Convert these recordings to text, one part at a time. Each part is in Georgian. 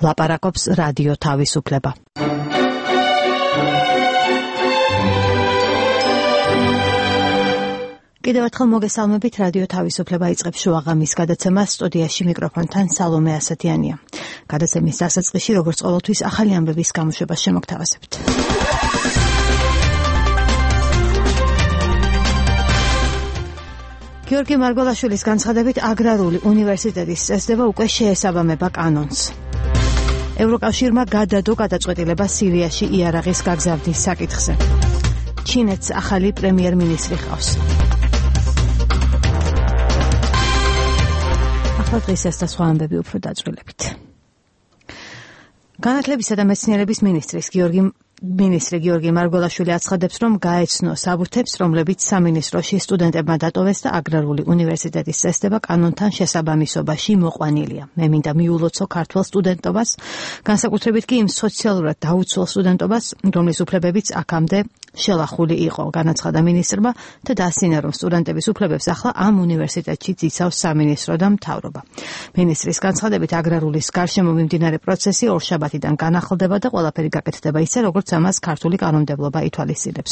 ლაპარაკობს რადიო თავისუფლება. კიდევ ერთხელ მოგესალმებით, რადიო თავისუფლება იწყებს შუაღამის გადაცემას, სტუდიაში მიკროფონთან სალომე ასათიანია. გადაცემის დასაწყისში, როგორც ყოველთვის, ახალი ამბების გამოშვებას შემოგთავაზებთ. გიორგი მარგველაშვილის განცხადებით, აგრარული უნივერსიტეტის წესდება უკვე შეესაბამება კანონს. ევროკავშირმა გადადო გადაწყვეტილება სირიაში იარაღის გაგზავნის საკითხზე. ჩინეთს ახალი პრემიერ-მინისტრი ჰყავს. ახლა დღისას და სხვა ამბები უფრო დაწვრილებით. განათლებისა და მეცნიერების მინისტრი გიორგი მარგველაშვილი აცხადებს, რომ გაეცნო საბუთებს, რომლებიც სამინისტროში სტუდენტებმა დატოვეს და აგრარული უნივერსიტეტის წესდება კანონთან შესაბამისობაში მოყვანილია. მე მინდა მიულოცო ქართველ სტუდენტობას, განსაკუთრებით კი იმ სოციალურად დაუცველ სტუდენტობას, რომლის უფლებებიც აქამდე შელახული იყო, განაცხადა მინისტრმა და დაასინა, რომ სტუდენტების უფლებებს ახლა ამ უნივერსიტეტში იცავს სამინისტრო და მთავრობა. მინისტრის განცხადებით, აგრარულის გარშემო მიმდინარე პროცესი ორშაბათიდან განახლდება და ყველაფერი გაკეთდება ისე, როგორც ამას ქართული კანონმდებლობა ითვალისწინებს.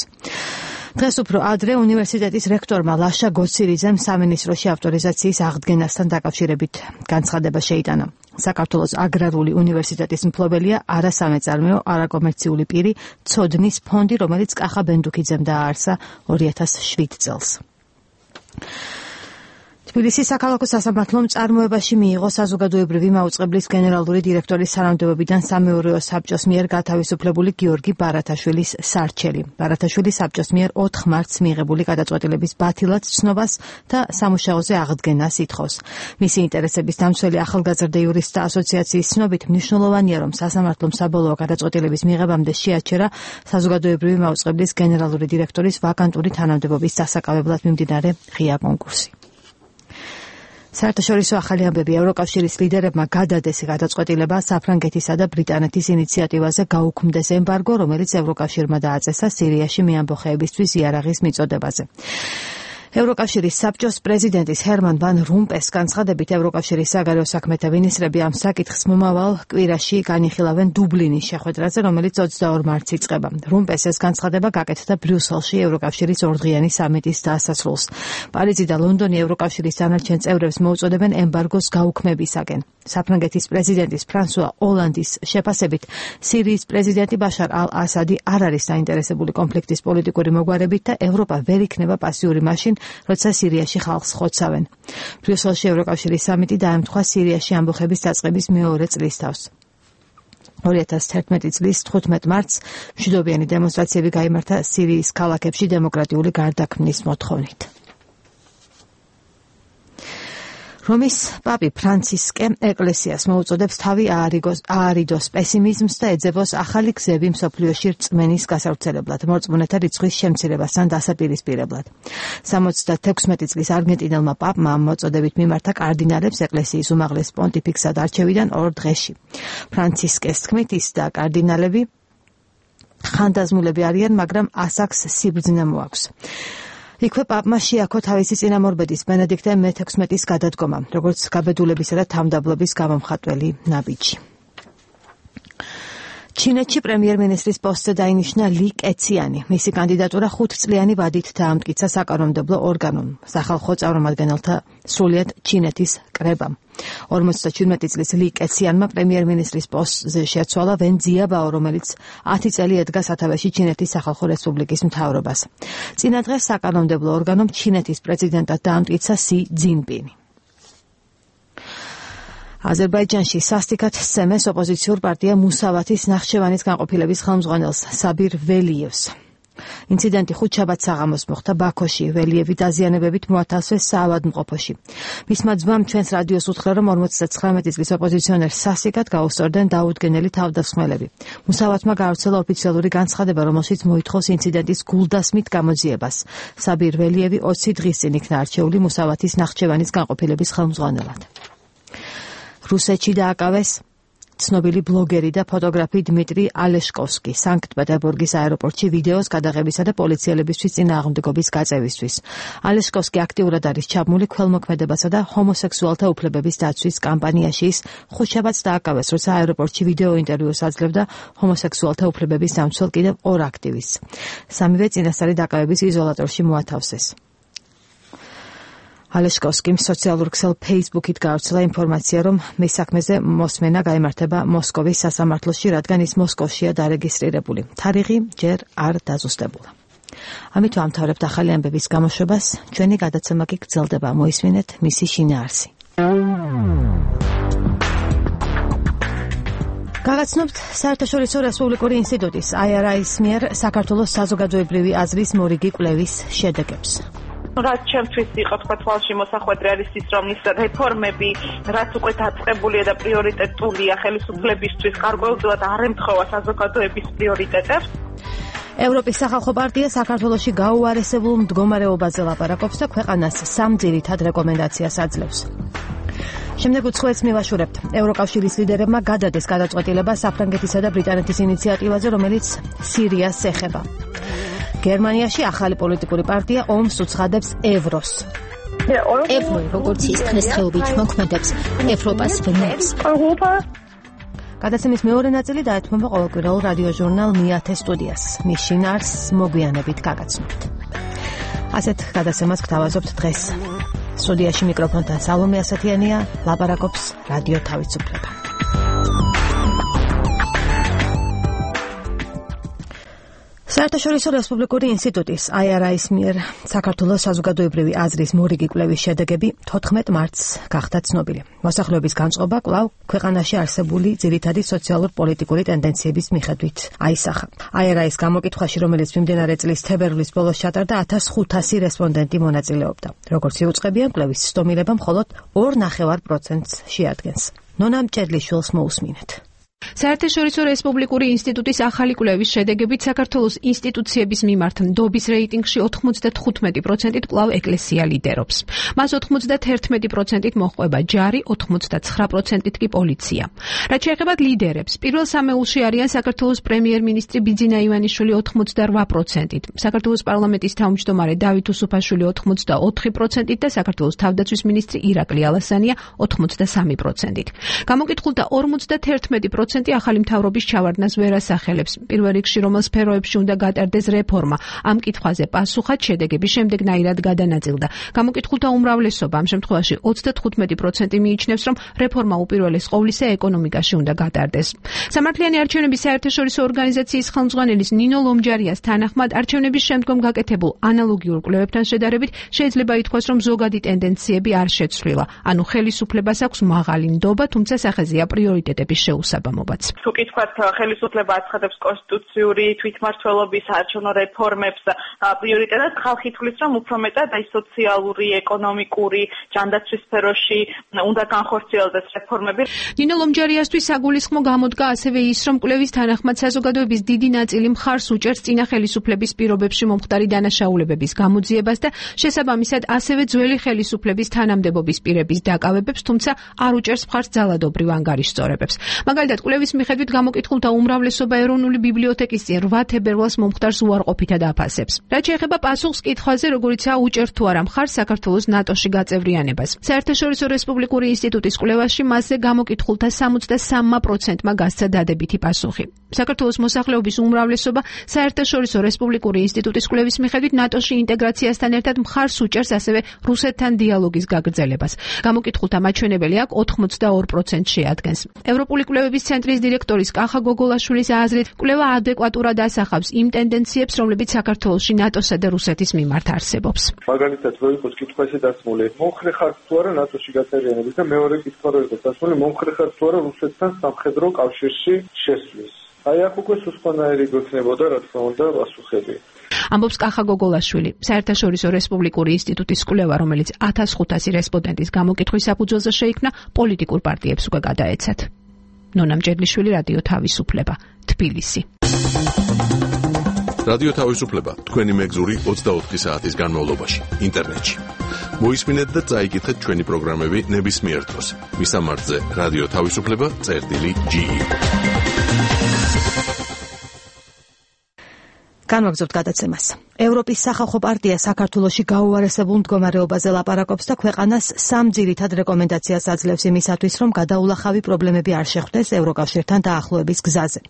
დღეს უფრო ადრე უნივერსიტეტის რექტორმა ლაშა გოცირიძემ სამინისტროში ავტორიზაციის აღდგენასთან დაკავშირებით განცხადება შეიტანა. საქართველოს აგრარული უნივერსიტეტის მფლობელია არასამეწარმეო, არაკომერციული პირი ცოდნის ფონდი, რომელიც კახა ბენდუქიძემ დააარსა 2007 წელს. თბილისის საქალაქო სასამართლომ წარმოებაში მიიღო საზოგადოებრივი მაუწყებლის გენერალური დირექტორის თანამდებობიდან სამეურვეო საბჭოს მიერ გათავისუფლებული გიორგი ბარათაშვილის სარჩელი. ბარათაშვილი საბჭოს მიერ 4 მარტს მიიღებული გადაწყვეტილების ბათილად ცნობას და სამუშაოზე აღდგენას ითხოვს. მისი ინტერესების დამცველი ახალგაზრდა იურისტთა ასოციაციის ცნობით, მნიშვნელოვანია, რომ სასამართლომ საბოლოო გადაწყვეტილების მიღებამდე შეაჩერა საზოგადოებრივი მაუწყებლის გენერალური დირექტორის ვაკანტური თანამდებობის დასაკავებლად მიმდინარე ღია კონკურსი. საერთაშორისო ახალი ამბები. ევროკავშირის ლიდერებმა გადადეს გადაწყვეტილება საფრანგეთისა და ბრიტანეთის ინიციატივაზე გაუქმდეს ემბარგო, რომელიც ევროკავშირმა დააწესა სირიაში მეამბოხეებისთვის იარაღის მიწოდებაზე. ევროკავშირის საბჭოს პრეზიდენტის ჰერმან ვან რომპეს განცხადებით, ევროკავშირის საგარეო საქმეთა მინისტრები ამ საკითხს მომავალ კვირაში განიხილავენ დუბლინის შეხვედრაზე, რომელიც 22 მარტს იწყება. რომპეს ეს განცხადება გაკეთდა ბრიუსელში ევროკავშირის ორდღიანი სამიტის დასასრულს. პარიზი და ლონდონი ევროკავშირის დანარჩენ წევრებს მოუწოდებენ ემბარგოს გაუქმებისაკენ. საფრანგეთის პრეზიდენტის ფრანსუა ოლანდის შეფასებით, სირიის პრეზიდენტი ბაშარ ალ-ასადი არ არის საინტერესებული კონფლიქტის პოლიტიკური მოგვარებით და ევროპა ვერ იქნება პასიური მაშინ, როცა სირიაში ხალხს ხოცავენ. ბრიუსელში ევროკავშირის სამიტი დაემთხვა სირიაში ამბოხების დაწყების მეორე წლისთავს. 2011 წლის 15 მარტს მშვიდობიანი დემონსტრაციები გაიმართა სირიის ქალაქებში დემოკრატიული გარდაქმნის მოთხოვნით. რომის პაპი ფრანცისკე ეკლესიას მოუწოდებს თავი აარიდოს პესიმიზმს და ეძებოს ახალი გზები მსოფლიოში რწმენის გასავრცელებლად, მორწმუნეთა რიცხვის შემცირებასთან დასაპირისპირებლად. 76 წლის არგენტინელმა პაპმა ამ მოწოდებით მიმართა კარდინალებს ეკლესიის უმაღლეს პონტიფიქსად არჩევიდან 2 დღეში. ფრანცისკეს თქმით, ის და კარდინალები ხანდაზმულები არიან, მაგრამ ასაკს სიბრძნე მოაქვს. იქვე პაპმა შეაქო თავისი წინამორბედის ბენედიქტე მე-16-ის გადადგომა, როგორც გაბედულებისა და თავმდაბლობის გამომხატველი ნაბიჯი. ჩინეთში პრემიერ-მინისტრის პოსტზე დაინიშნა ალი კეციანი. მისი კანდიდატურა 5 წლიანი ვადით დაამტკიცა საკანონმდებლო ორგანომ, სახალხო წარმომადგენელთა სრულიად ჩინეთის კრებამ. 57 წლის ალი კეციანმა პრემიერ-მინისტრის პოსტზე შეცვალა ვენ ძიაბაო, რომელიც 10 წელი ედგა სათავეში ჩინეთის სახალხო რესპუბლიკის მთავრობას. წინა დღეს საკანონმდებლო ორგანომ ჩინეთის პრეზიდენტად დაამტკიცა სი ძინპინი. აზერბაიჯანში სასტიკად სცემეს ოპოზიციურ პარტია მუსავათის ნახჩევანის განყოფილების ხელმძღვანელს საბირ ველიევს. ინციდენტი ხუთშაბათს საღამოს მოხდა ბაქოში. ველიევი დაზიანებებით მოათავსეს საავადმყოფოში. მისმა ძმამ ჩვენს რადიოს უთხრა, რომ 59 წლის ოპოზიციონერს სასტიკად გაუსწორდნენ დაუდგენელი თავდამსხმელები. მუსავათმა გაავრცელა ოფიციალური განცხადება, რომელშიც მოითხოვს ინციდენტის გულდასმით გამოძიებას. საბირ ველიევი 20 დღის წინ იქნა არჩეული მუსავათის ნახჩევანის განყოფილების ხელმძღვანელად. რუსეთში დააკავეს ცნობილი ბლოგერი და ფოტოგრაფი დმიტრი ალეშკოვსკი სანქტ-პეტერბურგის აეროპორტში ვიდეოს გადაღებისა და პოლიციელებისთვის წინააღმდეგობის გაწევისთვის. ალეშკოვსკი აქტიურად არის ჩაბმული ქველმოქმედებასა და ჰომოსექსუალთა უფლებების დაცვის კამპანიაში. ის ხუთშაბათს დააკავეს, როცა აეროპორტში ვიდეო ინტერვიუს აძლევდა ჰომოსექსუალთა უფლებების დამცველ კიდევ 2 აქტივისტს. სამივე წინასწარი დაკავების იზოლატორში მოათავსეს. ალეშკოვსკიმ სოციალურ ქსელ Facebook-ით გავრცელა ინფორმაცია, რომ მის საქმეზე მოსმენა გაიმართება მოსკოვის სასამართლოში, რადგან ის მოსკოვშია დარეგისტრირებული. თარიღი ჯერ არ დაზუსტებულა. ამით ვამთავრებთ ახალი ამბების გამოშვებას. ჩვენი გადაცემა კი გრძელდება. მოისმინეთ მისი შინაარსი. გაგაცნობთ საერთაშორისო რესპუბლიკური ინსტიტუტის IRI-ის მიერ საქართველოს საზოგადოებრივი აზრის მორიგი კვლევის შედეგებს. რაც ჩემთვის იყო თქვა თვალში მოსახვედრი არის ის, რომ ის რეფორმები, რაც უკვე დაწყებულია და პრიორიტეტულია ხელისუფლებისთვის, გარკვეულწილად არ ემთხვევა საზოგადოების პრიორიტეტებს. ევროპის სახალხო პარტია საქართველოში გაუარესებულ მდგომარეობაზე ლაპარაკობს და ქვეყანას 3 ძირითად რეკომენდაციას აძლევს. შემდეგ უცხოეთს მივაშურებთ. ევროკავშირის ლიდერებმა გადადეს გადაწყვეტილება საფრანგეთისა და ბრიტანეთის ინიციატივაზე, რომელიც სირიას ეხება. გერმანიაში ახალი პოლიტიკური პარტია ომს უცხადებს ევროს. ევრო როგორც ის დღესდღეობით მოქმედებს ევროპას ვნებს. გადაცემის მეორე ნაწილი დაეთმობა ყოველკვირეულ რადიოჟურნალ მიათე სტუდიას. მის შინაარსს მოგვიანებით გაგაცნობთ. ასეთ გადაცემას გთავაზობთ დღეს. სტუდიაში მიკროფონთან სალომე ასათიანია, ლაპარაკობს რადიო თავისუფლება. საერთაშორისო რესპუბლიკური ინსტიტუტის IRI-ის მიერ საქართველოს საზოგადოებრივი აზრის მორიგი კვლევის შედეგები 14 მარტს გახდა ცნობილი. მოსახლეობის განწყობა კვლავ ქვეყანაში არსებული ძირითადი სოციალურ-პოლიტიკური ტენდენციების მიხედვით აისახა. IRI-ის გამოკითხვაში, რომელიც მიმდინარე წლის თებერვლის ბოლოს ჩატარდა, 1500 რესპონდენტი მონაწილეობდა. როგორც იუწყებიან, კვლევის სტომილება მხოლოდ 2.5%-ს შეადგენს. ნონა მჭედლიშვილს მოусმინეთ. საერთაშორისო რესპუბლიკური ინსტიტუტის ახალი კვლევის შედეგებით საქართველოს ინსტიტუციების მიმართ ნდობის რეიტინგში 95%-ით კვლავ ეკლესია ლიდერობს. მას 91%-ით მოჰყვება ჯარი, 89%-ით კი პოლიცია. რაც შეეხება ლიდერებს, პირველ სამეულში არიან საქართველოს პრემიერ-მინისტრი ბიძინა ივანიშვილი 88%-ით, საქართველოს პარლამენტის თავმჯდომარე დავით უსუფაშვილი 84%-ით და საქართველოს თავდაცვის მინისტრი ირაკლი ალასანია 83%-ით. გამოკითხულთა 51% ახალი მთავრობის ჩავარდნას ვერ ასახელებს. პირველ რიგში რომელ სფეროებში უნდა გატარდეს რეფორმა, ამ კითხვაზე პასუხად შედეგების შემდეგნაირად გადანაწილდა. გამოკითხულთა უმრავლესობა, ამ შემთხვევაში 95% მიიჩნევს, რომ რეფორმა უპირველეს ყოვლისა ეკონომიკაში უნდა გატარდეს. სამართლიანი არჩევნების საერთაშორისო ორგანიზაციის ხელმძღვანელის ნინო ლომჯარიას თანახმად, არჩევნების შემდგომ გაკეთებულ ანალოგიურ კვლევებთან შედარებით შეიძლება ითქვას, რომ ზოგადი ტენდენციები არ შეცვლილა. ანუ ხელისუფლებას აქვს მაღალი ნდობა, თუმცა სახეზეა პრიორიტეტების შეუსაბამობა. თუ კი თქვათ, ხელისუფლება აცხადებს კონსტიტუციური თვითმმართველობის არჩევნო რეფორმებს პრიორიტეტად, ხალხი თვლის, რომ უფრო მეტად აი სოციალური, ეკონომიკური, ჯანდაცვის სფეროში უნდა განხორციელდეს რეფორმები. ნინო ლომჯარიასთვის საგულისხმო გამოდგა ასევე ის, რომ კვლევის თანახმად საზოგადოების დიდი ნაწილი მხარს უჭერს წინა ხელისუფლების პირობებში მომხდარი დანაშაულებების გამოძიებას და შესაბამისად ასევე ძველი ხელისუფლების თანამდებობის პირების დაკავებებს, თუმცა არ უჭერს მხარს ძალადობრივ ანგარიშწორებებს. მაგალითად, კვლევის მიხედვით გამოკითხულთა უმრავლესობა ეროვნული ბიბლიოთეკის წინ 8 თებერვალს მომხდარს უარყოფითად აფასებს. რაც შეეხება პასუხს კითხვაზე, როგორიცაა უჭერთ თუ არა მხარს საქართველოს ნატოში გაწევრიანებას. საერთაშორისო რესპუბლიკური ინსტიტუტის კვლევაში მასზე გამოკითხულთა 63%-მა გასცა დადებითი პასუხი. საქართველოს მოსახლეობის უმრავლესობა საერთაშორისო რესპუბლიკური ინსტიტუტის კვლევის მიხედვით ნატოში ინტეგრაციასთან ერთად მხარს უჭერს ასევე რუსეთთან დიალოგის გაგრძელებას. გამოკითხულთა მაჩვენებელი აქ 82% შეადგენს. ევროპული კვლევების ცენტრის დირექტორის კახა გოგოლაშვილის აზრით, კვლევა ადეკვატურად ასახავს იმ ტენდენციებს, რომლებიც საქართველოში ნატოსა და რუსეთის მიმართ არსებობს. მაგალითად, რო იყოს კითხვა ესე დასმული, მომხრე ხართ თუ არა ნატოში გაწევრიანების და მეორე კითხვა რო იყოს დასმული, მომხრე ხართ თუ არა რუსეთთან სამხედრო კავშირში შესვლის. აი აქ უკვე სუსტანაირი გქნებოდა, რა თქმა უნდა, პასუხები. ამბობს კახა გოგოლაშვილი. საერთაშორისო რესპუბლიკური ინსტიტუტის კვლევა, რომელიც 1500 რესპონდენტის გამოკითხვის საფუძველზე შეიქმნა, პოლიტიკურ პარტიებს უკვე გადაეცათ. ნონა მჭედლიშვილი, რადიო თავისუფლება, თბილისი. რადიო თავისუფლება, თქვენი მეგზური 24 საათის განმავლობაში, ინტერნეტში. მოისმინეთ და წაიკითხეთ ჩვენი პროგრამები ნებისმიერ დროს. მისამართზე რადიო თავისუფლება წერტილი.ge. განვაგრძობთ გადაცემას. ევროპის სახალხო პარტია საქართველოში გაუარესებულ მდგომარეობაზე ლაპარაკობს და ქვეყანას სამ ძირითად რეკომენდაციას აძლევს იმისათვის, რომ გადაულახავი პრობლემები არ შეხვდეს ევროკავშირთან დაახლოების გზაზე.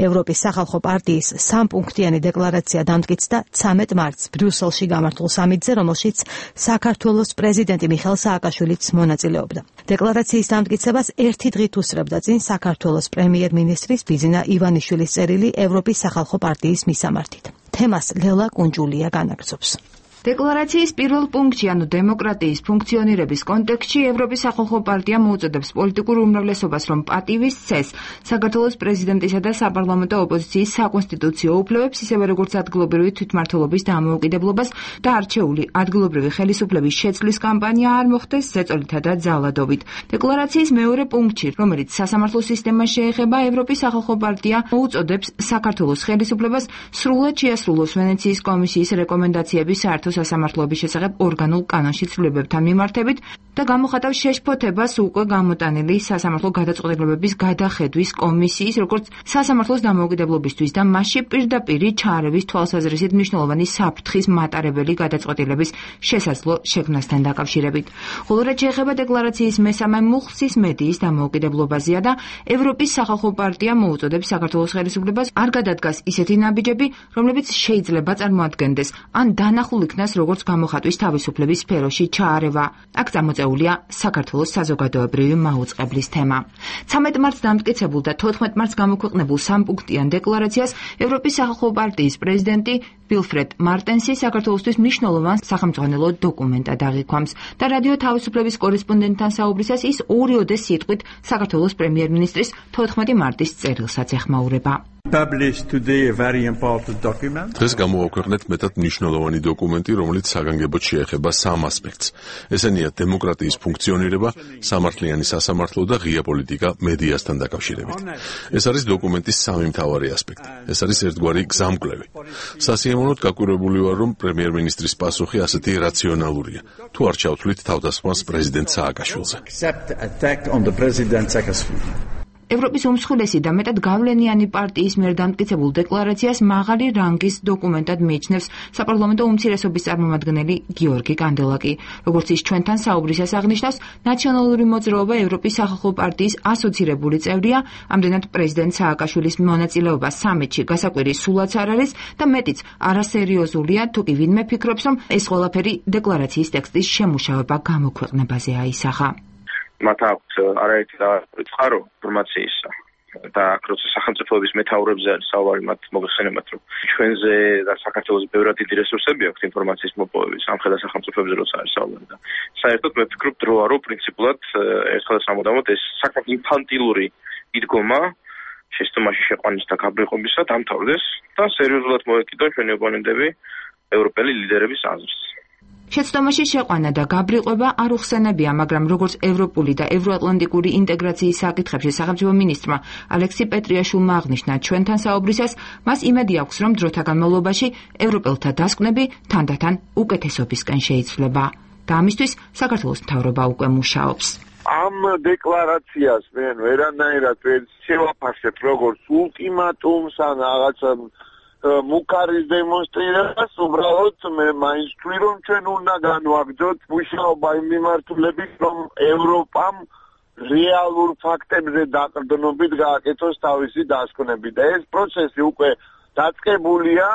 ევროპის სახალხო პარტიის სამპუნქტიანი დეკლარაცია დამტკიცდა 13 მარტს ბრიუსელში გამართულ სამიტზე, რომელშიც საქართველოს პრეზიდენტი მიხეილ სააკაშვილიც მონაწილეობდა. დეკლარაციის დამტკიცებას ერთი დღით უსწრებდა წინ საქართველოს პრემიერ-მინისტრის ბიძინა ივანიშვილის წერილი ევროპის სახალხო პარტიის მისამართით. თემას ლელა კუნჯულია განაგრძობს. დეკლარაციის პირველ პუნქტში, ანუ დემოკრატიის ფუნქციონირების კონტექსტში, ევროპის სახალხო პარტია მოუწოდებს პოლიტიკურ უმრავლესობას, რომ პატივის წეს საქართველოს პრეზიდენტისა და საპარლამენტო ოპოზიციის საკონსტიტუციო უფლებებს, ისევე როგორც ადგილობრივი თვითმმართველობის დამოუკიდებლობას და არჩეული ადგილობრივი ხელისუფლების შეცვლის კამპანია არ მოხდეს ზეწოლითა და ძალადობით. დეკლარაციის მეორე პუნქტში, რომელიც სასამართლო სისტემას შეეხება, ევროპის სახალხო პარტია მოუწოდებს საქართველოს ხელისუფლებას სრულად შეასრულოს ვენეციის კომისიის რეკომენდაციების საერთო სასამართლოების შესახებ ორგანულ კანონში ცვლილებებთან მიმართებით და გამოხატავს შეშფოთებას უკვე გამოტანილი სასამართლო გადაწყვეტილებების გადახედვის კომისიის, როგორც სასამართლოს დამოუკიდებლობისთვის და მასში პირდაპირ ჩაარევის თვალსაზრისით მნიშვნელოვანი საფრთხის მატარებელი გადაწყვეტილების შესაძლო შექმნასთან დაკავშირებით. ხოლო რაც შეეხება დეკლარაციის მესამე მუხლს, ის მედიის დამოუკიდებლობაზეა და ევროპის სახალხო პარტია მოუწოდებს საქართველოს ხელისუფლებას არ გადადგას ისეთი ნაბიჯები, რომლებიც შეიძლება წარმოადგენდეს ან დანახულ იქნას როგორც გამოხატვის თავისუფლების სფეროში ჩაარევა. აქ წამოწეულია საქართველოს საზოგადოებრივი მაუწყებლის თემა. 13 მარტს დამტკიცებულ და 14 მარტს გამოქვეყნებულ სამპუნქტიან დეკლარაციას ევროპის სახალხო პარტიის პრეზიდენტი ვილფრედ მარტენსი საქართველოსთვის მნიშვნელოვან სახელმძღვანელო დოკუმენტად აღიქვამს და რადიო თავისუფლების კორესპონდენტთან საუბრისას ის ორიოდე სიტყვით საქართველოს პრემიერ-მინისტრის 14 მარტის წერილსაც ეხმაურება. დღეს გამოვაქვეყნეთ მეტად მნიშვნელოვანი დოკუმენტი, რომელიც საგანგებოდ შეეხება სამ ასპექტს. ესენია დემოკრატიის ფუნქციონირება, სამართლიანი სასამართლო და ღია პოლიტიკა მედიასთან დაკავშირებით. ეს არის დოკუმენტის სამი მთავარი ასპექტი. ეს არის ერთგვარი გზამკვლევი. სასიამოვნოდ გაკვირვებული ვარ, რომ პრემიერ-მინისტრის პასუხი ასეთი რაციონალურია. თუ არ ჩავთვლით თავდასხმას პრეზიდენტ სააკაშვილზე. ევროპის უმსხვილესი და მეტად გავლენიანი პარტიის მიერ დამტკიცებულ დეკლარაციას მაღალი რანგის დოკუმენტად მიიჩნევს საპარლამენტო უმცირესობის წარმომადგენელი გიორგი კანდელაკი. როგორც ის ჩვენთან საუბრისას აღნიშნავს, ნაციონალური მოძრაობა ევროპის სახალხო პარტიის ასოცირებული წევრია, ამდენად პრეზიდენტ სააკაშვილის მონაწილეობა სამიტში გასაკვირი სულაც არ არის და მეტიც არასერიოზულია, თუ კი ვინმე ფიქრობს, რომ ეს ყველაფერი დეკლარაციის ტექსტის შემუშავება გამოქვეყნებაზე აისახა. მათ აქვთ არაერთი წყარო ინფორმაციისა და როცა სახელმწიფოების მეთაურებზე არის საუბარი, მათ მოგეხსენებათ, რომ ჩვენზე და საქართველოს ბევრად დიდი რესურსები აქვს ინფორმაციის მოპოვების სამხედრო სახელმწიფოებზე როცა არის საუბარი და საერთოდ მე ვფიქრობ დროა, რომ პრინციპულად ერთხელ სამუდამოდ ეს საკმაოდ ინფანტილური იდგომა შეცდომაში შეყვანის და გაბრიყვებისა დამთავრდეს და სერიოზულად მოეკიდონ ჩვენი ოპონენტები ევროპელი ლიდერების აზრს. შეცდომაში შეყვანა და გაბრიყვება არ უხსენებია, მაგრამ როგორც ევროპული და ევროატლანტიკური ინტეგრაციის საკითხებში სახელმწიფო მინისტრმა ალექსი პეტრიაშვილმა აღნიშნა ჩვენთან საუბრისას, მას იმედი აქვს, რომ დროთა განმავლობაში ევროპელთა დასკვნები თანდათან უკეთესობისკენ შეიცვლება და ამისთვის საქართველოს მთავრობა უკვე მუშაობს. ამ დეკლარაციას მე ვერანაირად ვერ შევაფასებ როგორც ულტიმატუმს ან რაღაცა მუქარის დემონსტრირებას, უბრალოდ მე მაინც ვთვლი, რომ ჩვენ უნდა განვაგრძოთ მუშაობა იმ მიმართულებით, რომ ევროპამ რეალურ ფაქტებზე დაყრდნობით გააკეთოს თავისი დასკვნები და ეს პროცესი უკვე დაწყებულია.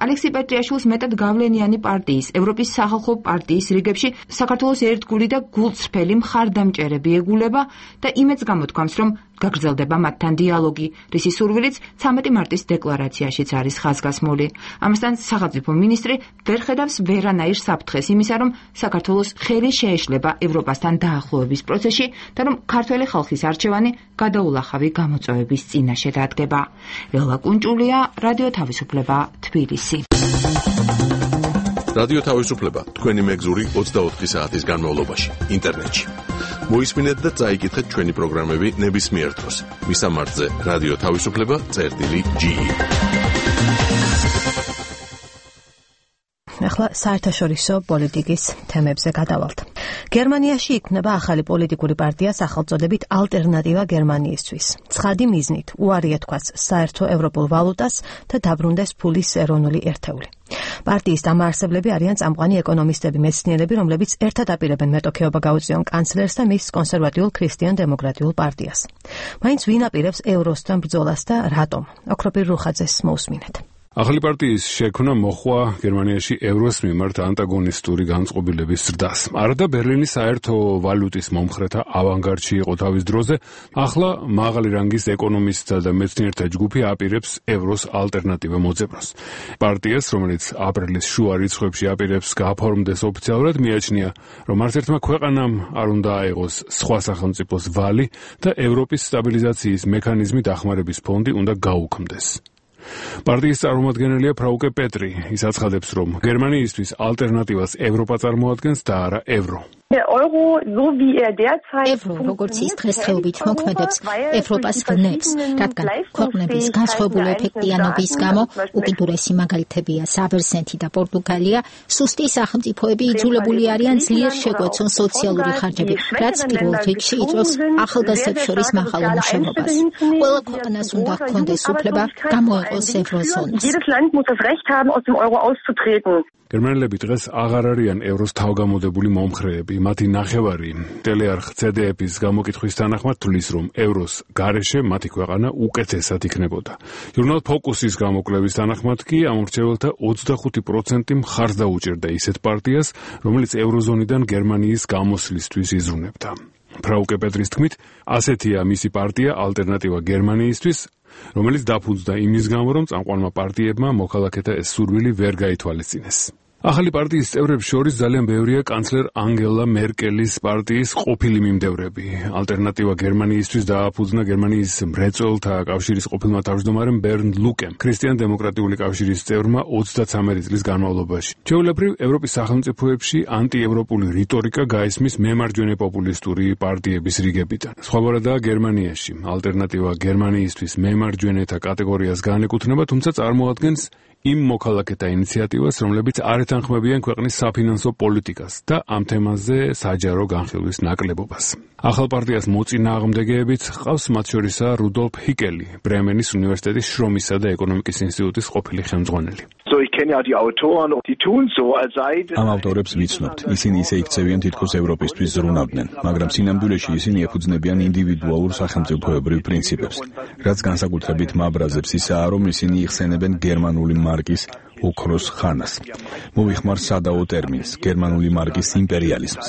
ალექსი პეტრიაშვილს მეტად გავლენიანი პარტიის, ევროპის სახალხო პარტიის რიგებში საქართველოს ერთგული და გულწრფელი მხარდამჭერები ეგულება და იმედს გამოთქვამს, რომ გაგრძელდება მათთან დიალოგი, რისი სურვილიც 13 მარტის დეკლარაციაშიც არის ხაზგასმული. ამასთან სახელმწიფო მინისტრი ვერ ხედავს ვერანაირ საფრთხეს იმისა, რომ საქართველოს ხელი შეეშლება ევროპასთან დაახლოების პროცესში და რომ ქართველი ხალხის არჩევანი გადაულახავი გამოწვევების წინაშე დადგება. ლელა კუნჭულია, რადიო თავისუფლება, თბილისი. რადიო თავისუფლება, თქვენი მეგზური 24 საათის განმავლობაში, ინტერნეტში. მოისმინეთ და წაიკითხეთ ჩვენი პროგრამები ნებისმიერ დროს. მისამართზე რადიო თავისუფლება წერტილი.ge. ახლა საერთაშორისო პოლიტიკის თემებზე გადავალთ. გერმანიაში იქმნება ახალი პოლიტიკური პარტია სახელწოდებით ალტერნატივა გერმანიისთვის. ცხადი მიზნით უარი ეთქვას საერთო ევროპულ ვალუტას და დაბრუნდეს ფულის ეროვნული ერთეული. პარტიის დამაარსებლები არიან წამყვანი ეკონომისტები, მეცნიერები, რომლებიც ერთად აპირებენ მეტოქეობა გაუწიონ კანცლერს და მის კონსერვატიულ ქრისტიან-დემოკრატიულ პარტიას. მაინც ვინ აპირებს ევროსთან ბრძოლას და რატომ? ოქროპირ რუხაძეს მოусმინეთ. ახალი პარტიის შექმნა მოხვა გერმანიაში ევროს მიმართ ანტაგონისტური განწყობილების ზრდას. არადა ბერლინის საერთო ვალუტის მომხრეთა ავანგარდში იყო თავის დროზე, ახლა მაღალი რანგის ეკონომისტთა და მეცნიერთა ჯგუფი აპირებს ევროს ალტერნატივა მოძებნოს. პარტიას, რომელიც აპრილის შუა რიცხვებში აპირებს გაფორმდეს ოფიციალურად, მიაჩნია, რომ არც ერთმა ქვეყანამ არ უნდა აიღოს სხვა სახელმწიფოს ვალი და ევროპის სტაბილიზაციის მექანიზმი დახმარების ფონდი უნდა გაუქმდეს. პარტიის წარმომადგენელია ფრაუკე პეტრი. ის აცხადებს, რომ გერმანიისთვის ალტერნატივას ევროპა წარმოადგენს და არა ევრო. ევრო, როგორც ის დღესდღეობით მოქმედებს, ევროპას ვნებს, რადგან ქვეყნების განსხვავებული ეფექტიანობის გამო უკიდურესი მაგალითებია საბერძნეთი და პორტუგალია, სუსტი სახელმწიფოები იძულებული არიან ძლიერ შეგვეცონ სოციალური ხარჯები, რაც პირველ რიგში იწვევს ახალგაზრდებს შორის მაღალ უმუშევრობას. ყველა ქვეყანას უნდა ჰქონდეს უფლება გამოეყოს ევროზონას. გერმანელები დღეს აღარ არიან ევროს თავგამოდებული მომხრეები. მათი ნახევარი ტელეარხ CDF-ის გამოკითხვის თანახმად თვლის, რომ ევროს გარეშე მათი ქვეყანა უკეთესად იქნებოდა. ჟურნალ ფოკუსის გამოკვლევის თანახმად კი ამორჩეველთა 25% მხარს დაუჭერდა ისეთ პარტიას, რომელიც ევროზონიდან გერმანიის გამოსვლისთვის იზრუნებდა. ფრაუკე პეტრის თქმით, ასეთია მისი პარტია ალტერნატივა გერმანიისთვის, რომელიც დაფუძნდა იმის გამო, რომ წამყვანმა პარტიებმა მოქალაქეთა ეს სურვილი ვერ გაითვალისწინეს. ახალი პარტიის წევრებს შორის ძალიან ბევრია კანცლერ ანგელა მერკელის პარტიის ყოფილი მიმდევრები. ალტერნატივა გერმანიისთვის დააფუძნა გერმანიის მრეწველთა კავშირის ყოფილმა თავმჯდომარემ ბერნდ ლუკემ, ქრისტიან-დემოკრატიული კავშირის წევრმა 33 წლის განმავლობაში. ჩვეულებრივ, ევროპის სახელმწიფოებში ანტიევროპული რიტორიკა გაისმის მემარჯვენე პოპულისტური პარტიების რიგებიდან. სხვაგვარადაა გერმანიაში. ალტერნატივა გერმანიისთვის მემარჯვენეთა კატეგორიას განეკუთვნება, თუმცა წარმოადგენს იმ მოქალაქეთა ინიციატივას, რომლებიც არ ეთანხმებიან ქვეყნის საფინანსო პოლიტიკას და ამ თემაზე საჯარო განხილვის ნაკლებობას. ახალ პარტიას მოწინააღმდეგეებიც ჰყავს, მათ შორისაა რუდოლფ ჰიკელი, ბრემენის უნივერსიტეტის შრომისა და ეკონომიკის ინსტიტუტის ყოფილი ხელმძღვანელი. ამ ავტორებს ვიცნობთ, ისინი ისე იქცევიან თითქოს ევროპისთვის ზრუნავდნენ, მაგრამ სინამდვილეში ისინი ეფუძნებიან ინდივიდუალურ სახელმწიფოებრივ პრინციპებს, რაც განსაკუთრებით მაბრაზებს ისაა, რომ ისინი იხსენებენ გერმანული მარკის ოქროს ხანას. მოვიხმარ სადაო ტერმინს, გერმანული მარკის იმპერიალიზმს.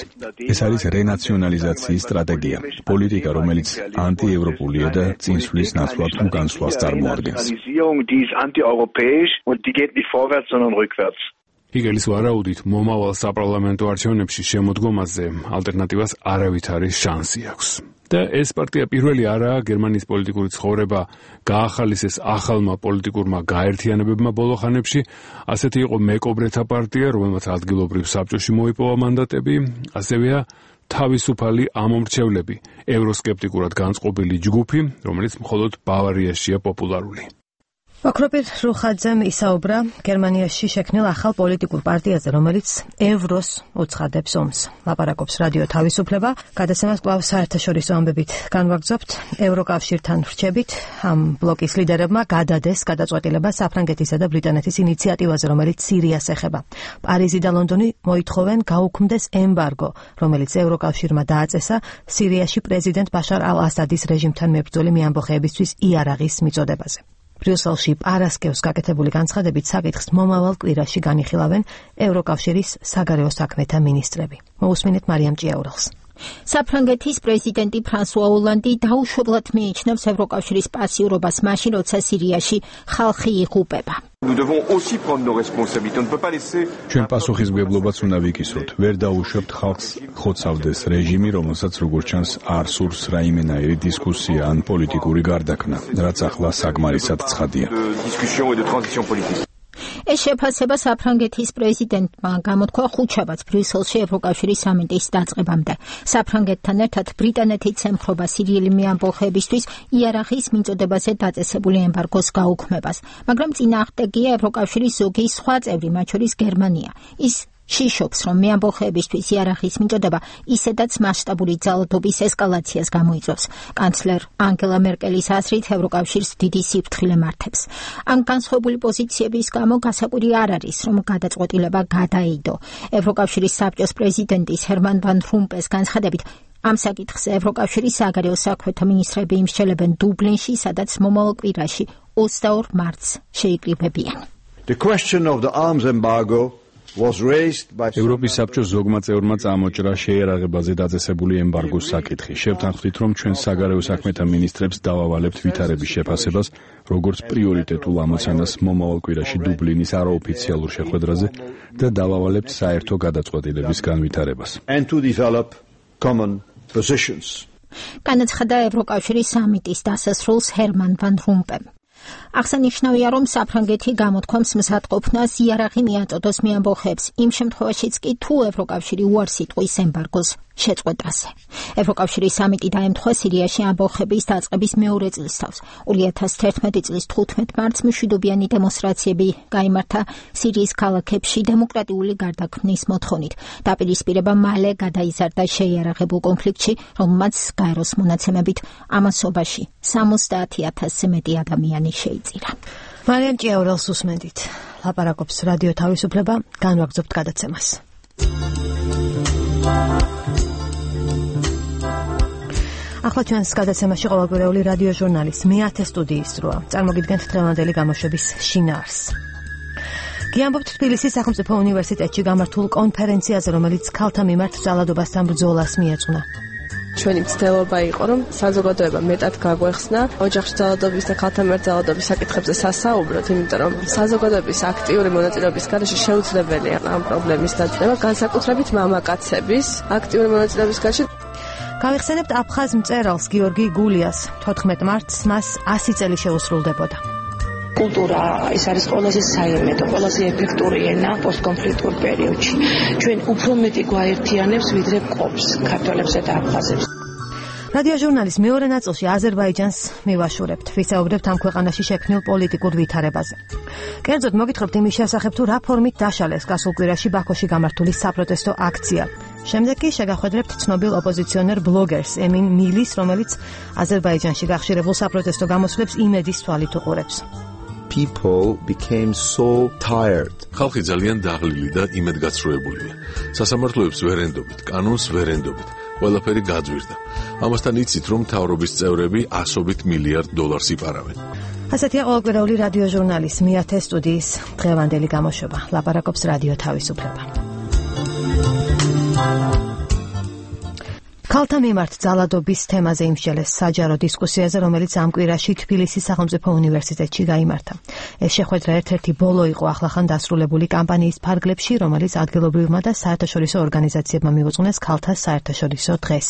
ეს არის რენაციონალიზაციის სტრატეგია, პოლიტიკა, რომელიც ანტიევროპულია და წინსვლის ნაცვლად უგანსვლას წარმოადგენს. ჰიგელის ვარაუდით, მომავალ საპარლამენტო არჩევნებში შემოდგომაზე ალტერნატივას არავითარი შანსი აქვს. და ეს პარტია პირველი არაა გერმანიის პოლიტიკური ცხოვრება გაახალისეს ახალმა პოლიტიკურმა გაერთიანებებმა ბოლო ხანებში. ასეთი იყო მეკობრეთა პარტია, რომელმაც ადგილობრივ საბჭოში მოიპოვა მანდატები, ასევეა თავისუფალი ამომრჩევლები, ევროსკეპტიკურად განწყობილი ჯგუფი, რომელიც მხოლოდ ბავარიაშია პოპულარული. ოქროპირ რუხაძემ ისაუბრა გერმანიაში შექმნილ ახალ პოლიტიკურ პარტიაზე, რომელიც ევროს უცხადებს ომს. ლაპარაკობს რადიო თავისუფლება. გადაცემას კვლავ საერთაშორისო ამბებით განვაგრძობთ. ევროკავშირთან რჩებით ამ ბლოკის ლიდერებმა გადადეს გადაწყვეტილება საფრანგეთისა და ბრიტანეთის ინიციატივაზე, რომელიც სირიას ეხება. პარიზი და ლონდონი მოითხოვენ გაუქმდეს ემბარგო, რომელიც ევროკავშირმა დააწესა სირიაში პრეზიდენტ ბაშარ ალ-ასადის რეჟიმთან მებრძოლი მეამბოხეებისთვის იარაღის მიწოდებაზე. ბრიუსელში პარასკევს გაკეთებული განცხადებით საკითხს მომავალ კვირაში განიხილავენ ევროკავშირის საგარეო საქმეთა მინისტრები. მოусმინეთ მარიამ ჭიაურელს. საფრანგეთის პრეზიდენტი ფრანსუა ოლანდი დაუშვებლად მიიჩნევს ევროკავშირის პასიურობას მაშინ, როცა სირიაში ხალხი იღუპება. ჩვენ პასუხისმგებლობაც უნდა ვიკისროთ. ვერ დაუშვებთ ხალხს ხოცავდეს რეჟიმი, რომელსაც როგორც ჩანს არ სურს რაიმენაირი დისკუსია ან პოლიტიკური გარდაქმნა, რაც ახლა საკმარისად ცხადია. ეს შეფასება საფრანგეთის პრეზიდენტმა გამოთქვა ხუთშაბათს ბრიუსელში ევროკავშირის სამიტის დაწყებამდე. საფრანგეთთან ერთად ბრიტანეთიც ემხრობა სირიელი მეამბოხეებისთვის იარაღის მიწოდებაზე დაწესებული ემბარგოს გაუქმებას, მაგრამ წინააღმდეგია ევროკავშირის ზოგი სხვა წევრი, მათ შორის გერმანია. ის შიშობს, რომ მეამბოხეებისთვის იარაღის მიწოდება ისედაც მასშტაბური ძალადობის ესკალაციას გამოიწვევს. კანცლერ ანგელა მერკელის აზრით ევროკავშირს დიდი სიფრთხილე მართებს. ამ განსხვავებული პოზიციების გამო გასაკვირი არ არის, რომ გადაწყვეტილება გადაიდო. ევროკავშირის საბჭოს პრეზიდენტის ჰერმან ვან რომპეს განცხადებით, ამ საკითხზე ევროკავშირის საგარეო საქმეთა მინისტრები იმსჯელებენ დუბლინში, სადაც მომავალ კვირაში 22 მარტს შეიკრიბებიან. The question of the arms embargo ევროპის საბჭოს ზოგმა წევრმა წამოჭრა შეიარაღებაზე დაწესებული ემბარგოს საკითხი. შევთანხმდით, რომ ჩვენ საგარეო საქმეთა მინისტრებს დავავალებთ ვითარების შეფასებას, როგორც პრიორიტეტულ ამოცანას მომავალ კვირაში დუბლინის არაოფიციალურ შეხვედრაზე და დავავალებთ საერთო გადაწყვეტილების განვითარებას. განაცხადა ევროკავშირის სამიტის დასასრულს ჰერმან ვან რომპემ. აღსანიშნავია, რომ საფრანგეთი გამოთქვამს მზადყოფნას იარაღი მიაწოდოს მეამბოხეებს, იმ შემთხვევაშიც კი თუ ევროკავშირი უარს იტყვის ემბარგოს შეწყვეტაზე. ევროკავშირის სამიტი დაემთხვა სირიაში ამბოხების დაწყების მეორე წლისთავს. 2011 წლის 15 მარტს მშვიდობიანი დემონსტრაციები გაიმართა სირიის ქალაქებში დემოკრატიული გარდაქმნის მოთხოვნით. დაპირისპირება მალე გადაიზარდა შეიარაღებულ კონფლიქტში, რომელმაც გაეროს მონაცემებით ამასობაში 70,000-ზე მეტი ადამიანი შეიწირა. მარიამ ჭიაურელს უსმენდით. ლაპარაკობს რადიო თავისუფლება, განვაგრძობთ გადაცემას. ახლა ჩვენს გადაცემაში ყოველკვირეული რადიო ჟურნალის მე-10 სტუდიის დროა. წარმოგიდგენთ დღევანდელი გამოშვების შინაარსს. გიამბობთ თბილისის სახელმწიფო უნივერსიტეტში გამართულ კონფერენციაზე, რომელიც ქალთა მიმართ ძალადობასთან ბრძოლას მიეძღვნა. ჩვენი მცდელობა იყო, რომ საზოგადოება მეტად გაგვეხსნა ოჯახში ძალადობის და ქალთა მიმართ ძალადობის საკითხებზე სასაუბროთ, იმიტომ რომ საზოგადოების აქტიური მონაწილეობის გარეშე შეუძლებელია ამ პრობლემის დაძაბვა, განსაკუთრებით მამაკაცების აქტიური მონაწილეობის გარეშე. გავიხსენებთ აფხაზ მწერალს გიორგი გულიას. 14 მარტს მას 100 წელი შეუსრულდებოდა. კულტურა ეს არის ყველაზე საიმედო, ყველაზე ეფექტური ენა პოსტკონფლიქტურ პერიოდში. ჩვენ უფრო მეტი გვაერთიანებს, ვიდრე ყოფს ქართველებსა და აფხაზებს. რადიო ჟურნალის მეორე ნაწილში აზერბაიჯანს მივაშურებთ. ვისაუბრებთ ამ ქვეყანაში შექმნილ პოლიტიკურ ვითარებაზე. კერძოდ მოგითხრობთ იმის შესახებ, თუ რა ფორმით დაშალეს გასულ კვირაში ბაქოში გამართული საპროტესტო აქცია. შემდეგ კი შეგახვედრებთ ცნობილ ოპოზიციონერ ბლოგერს ემინ მილის, რომელიც აზერბაიჯანში გახშირებულ საპროტესტო გამოსვლებს იმედის თვალით უყურებს. People became so tired. ხალხი ძალიან დაღლილი და იმედგაცრუებულია. სასამართლოებს ვერ ენდობით, კანონს ვერ ენდობით. ყველაფერი გაძვირდა. ამასთან იცით, რომ მთავრობის წევრები ასობით მილიარდ დოლარს იპარავენ. ასეთია ყოველკვირეული რადიო ჟურნალის მე-10 სტუდიის დღევანდელი გამოშვება. ლაპარაკობს რადიო თავისუფლება. ქალთა მიმართ ძალადობის თემაზე იმსჯელეს საჯარო დისკუსიაზე, რომელიც ამ კვირაში თბილისის სახელმწიფო უნივერსიტეტში გაიმართა. ეს შეხვედრა ერთ-ერთი ბოლო იყო ახლახან დასრულებული კამპანიის ფარგლებში, რომელიც ადგილობრივმა და საერთაშორისო ორგანიზაციებმა მიუძღვნეს ქალთა საერთაშორისო დღეს.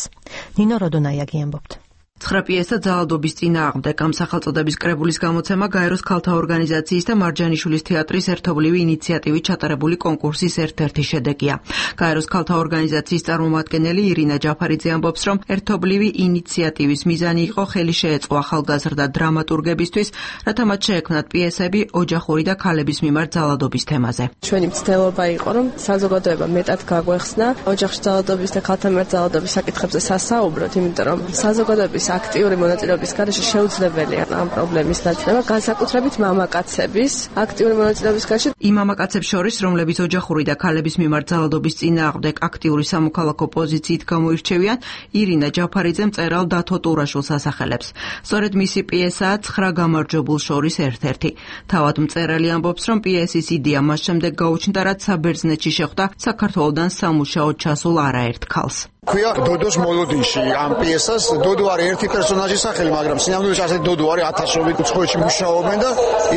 ნინო როდონაიაგი ამბობთ. 9 პიესა ძალადობის წინააღმდეგ ამ სახელწოდების კრებულის გამოცემა გაეროს ქალთა ორგანიზაციის და მარჯანიშვილის თეატრის ერთობლივი ინიციატივით ჩატარებული კონკურსის ერთ-ერთი შედეგია. გაეროს ქალთა ორგანიზაციის წარმომადგენელი ირინა ჯაფარიძე ამბობს, რომ ერთობლივი ინიციატივის მიზანი იყო ხელი შეეწყო ახალგაზრდა დრამატურგებისთვის, რათა მათ შეექმნათ პიესები ოჯახური და ქალების მიმართ ძალადობის თემაზე. ჩვენი მცდელობა იყო, რომ საზოგადოება მეტად გაგვეხსნა ოჯახში ძალადობის და ქალთა მიმართ ძალადობის საკითხებზე სასაუბროთ, იმიტომ რომ საზოგადოების აქტიური მონაწილეობის გარეშე შეუძლებელია ამ პრობლემის დაძაბვა, განსაკუთრებით მამაკაცების აქტიური მონაწილეობის გარეშე. იმ მამაკაცებს შორის, რომლებიც ოჯახური და ქალების მიმართ ძალადობის წინააღმდეგ აქტიური სამოქალაქო პოზიციით გამოირჩევიან, ირინა ჯაფარიძე მწერალ დათო ტურაშვილს ასახელებს. სწორედ მისი პიესაა 9 გამარჯვებულ შორის ერთ-ერთი. თავად მწერალი ამბობს, რომ პიესის იდეა მას შემდეგ გაუჩნდა, რაც საბერძნეთში შეხვდა საქართველოდან სამუშაოდ ჩასულ არაერთ ქალს. ქვია დოდოს მოლოდინში ამ პიესას. დოდო არის ერთი პერსონაჟის სახელი, მაგრამ სინამდვილეში ასეთი დოდო არის ათასობით უცხოეთში მუშაობენ და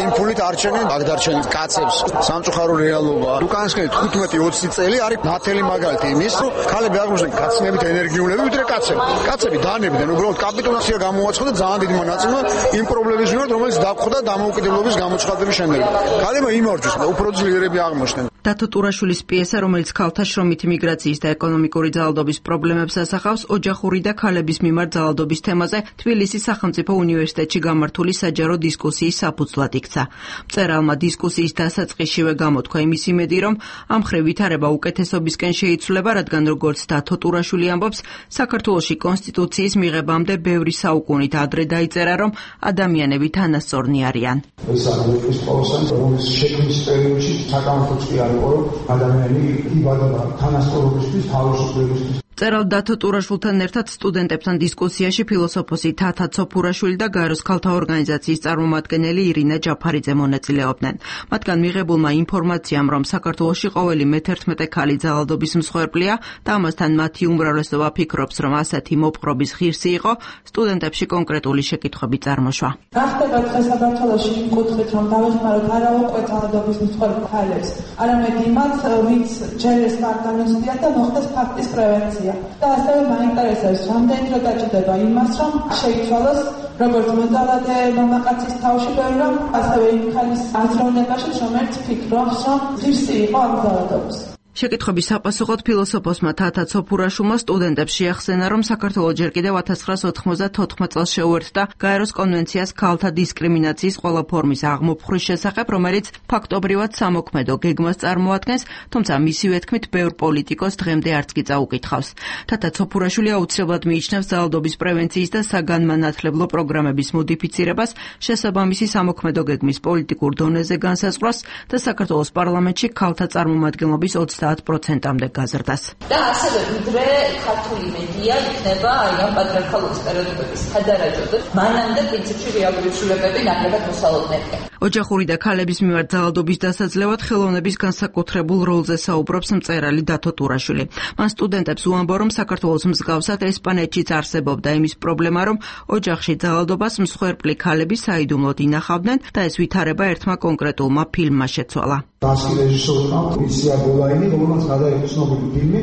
იმ ფულით არჩენენ აგდარჩენით კაცებს. სამწუხარო რეალობა. უკანასკნელი 15-20 წელი არის ნათელი მაგალითი იმის, რომ ქალები აღმოჩნდნენ კაცნებით ენერგიულები, ვიდრე კაცები. კაცები დანებდნენ, უბრალოდ კაპიტულაცია გამოაცხადა ძალიან დიდი მონაწილე იმ პრობლემის მიმართ, რომელიც დაგვხვდა დამოუკიდებლობის გამოცხადების შემდეგ. ქალებმა იმარჯვეს და უფრო ძლიერები აღმოჩნდნენ. დათო ტურაშვილის პიესა, რომელიც ქალთა შრომითი მიგრაციის და ეკონომიკური ძალადობის პრობლემებს ასახავს, ოჯახური და ქალების მიმართ ძალადობის თემაზე თბილისის სახელმწიფო უნივერსიტეტში გამართული საჯარო დისკუსიის საფუძვლად იქცა. მწერალმა დისკუსიის დასაწყისშივე გამოთქვა იმის იმედი, რომ ამ მხრივ ვითარება უკეთესობისკენ შეიცვლება, რადგან როგორც დათო ტურაშვილი ამბობს, საქართველოში კონსტიტუციის მიღებამდე ბევრი საუკუნით ადრე დაიწერა, რომ ადამიანები თანასწორნი არიან. ეს არის პროცესი, რომელიც შექმნის პერიოდში საკამათოც კი არის, რომ ადამიანი იბადება თანასწორობისთვის, თავისუფლებისთვის. მწერალ დათო ტურაშვილთან ერთად სტუდენტებთან დისკუსიაში ფილოსოფოსი თათა ცოფურაშვილი და გაეროს ქალთა ორგანიზაციის წარმომადგენელი ირინა ჯაფარიძე მონაწილეობდნენ. მათგან მიღებულმა ინფორმაციამ, რომ საქართველოში ყოველი მე-11 ქალი ძალადობის მსხვერპლია და ამასთან მათი უმრავლესობა ფიქრობს, რომ ასეთი მოპყრობის ღირსი იყო, სტუდენტებში კონკრეტული შეკითხვები წარმოშვა. რა ხდება დღეს საქართველოში იმ კუთხით, რომ დავეხმაროთ არა უკვე ძალადობის მსხვერპლ ქალებს, არამედ იმათ, ვინც ჯერ ეს არ განუცდიათ და მოხდეს ფაქტის პრევენცია. და ასევე მაინტერესებს, რამდენი დრო დაჭირდება იმას, რომ შეიცვალოს როგორც მოძალადე მამაკაცის თავში ბევრი, რომ ასევე იმ ქალის აზროვნებაში, რომელიც ფიქრობს, რომ ღირსი იყო ამ ძალადობის. შეკითხვების საპასუხოდ ფილოსოფოსმა თათა ცოფურაშვილმა სტუდენტებს შეახსენა, რომ საქართველო ჯერ კიდევ 1994 წელს შეუერთდა გაეროს კონვენციას ქალთა დისკრიმინაციის ყველა ფორმის აღმოფხვრის შესახებ, რომელიც ფაქტობრივად სამოქმედო გეგმას წარმოადგენს, თუმცა მისივე თქმით ბევრ პოლიტიკოს დღემდე არც კი წაუკითხავს. თათა ცოფურაშვილი აუცილებლად მიიჩნევს ძალადობის პრევენციის და საგანმანათლებლო პროგრამების მოდიფიცირებას, შესაბამისი სამოქმედო გეგმის პოლიტიკურ დონეზე განსაზღვრას და საქართველოს პარლამენტში ქალთა წარმომადგენლობის 30%-მდე გაზრდას. და ასევე ვიდრე ქართული მედია იქნება აი ამ პატრიარქალური სტერეოტიპების სადარაჯოდ, მანამდე პრინციპში რეალური ცვლილებები ნაკლებად მოსალოდნელია. ოჯახური და ქალების მიმართ ძალადობის დასაძლევად ხელოვნების განსაკუთრებულ როლზე საუბრობს მწერალი დათო ტურაშვილი. მან სტუდენტებს უამბო, რომ საქართველოს მსგავსად ესპანეთშიც არსებობდა იმის პრობლემა, რომ ოჯახში ძალადობას მსხვერპლი ქალები საიდუმლოდ ინახავდნენ და ეს ვითარება ერთმა კონკრეტულმა ფილმმა შეცვალა. დასკი რეჟისორმა იცია ბოლაინი, რომელმაც გადაიღო ცნობილი ფილმი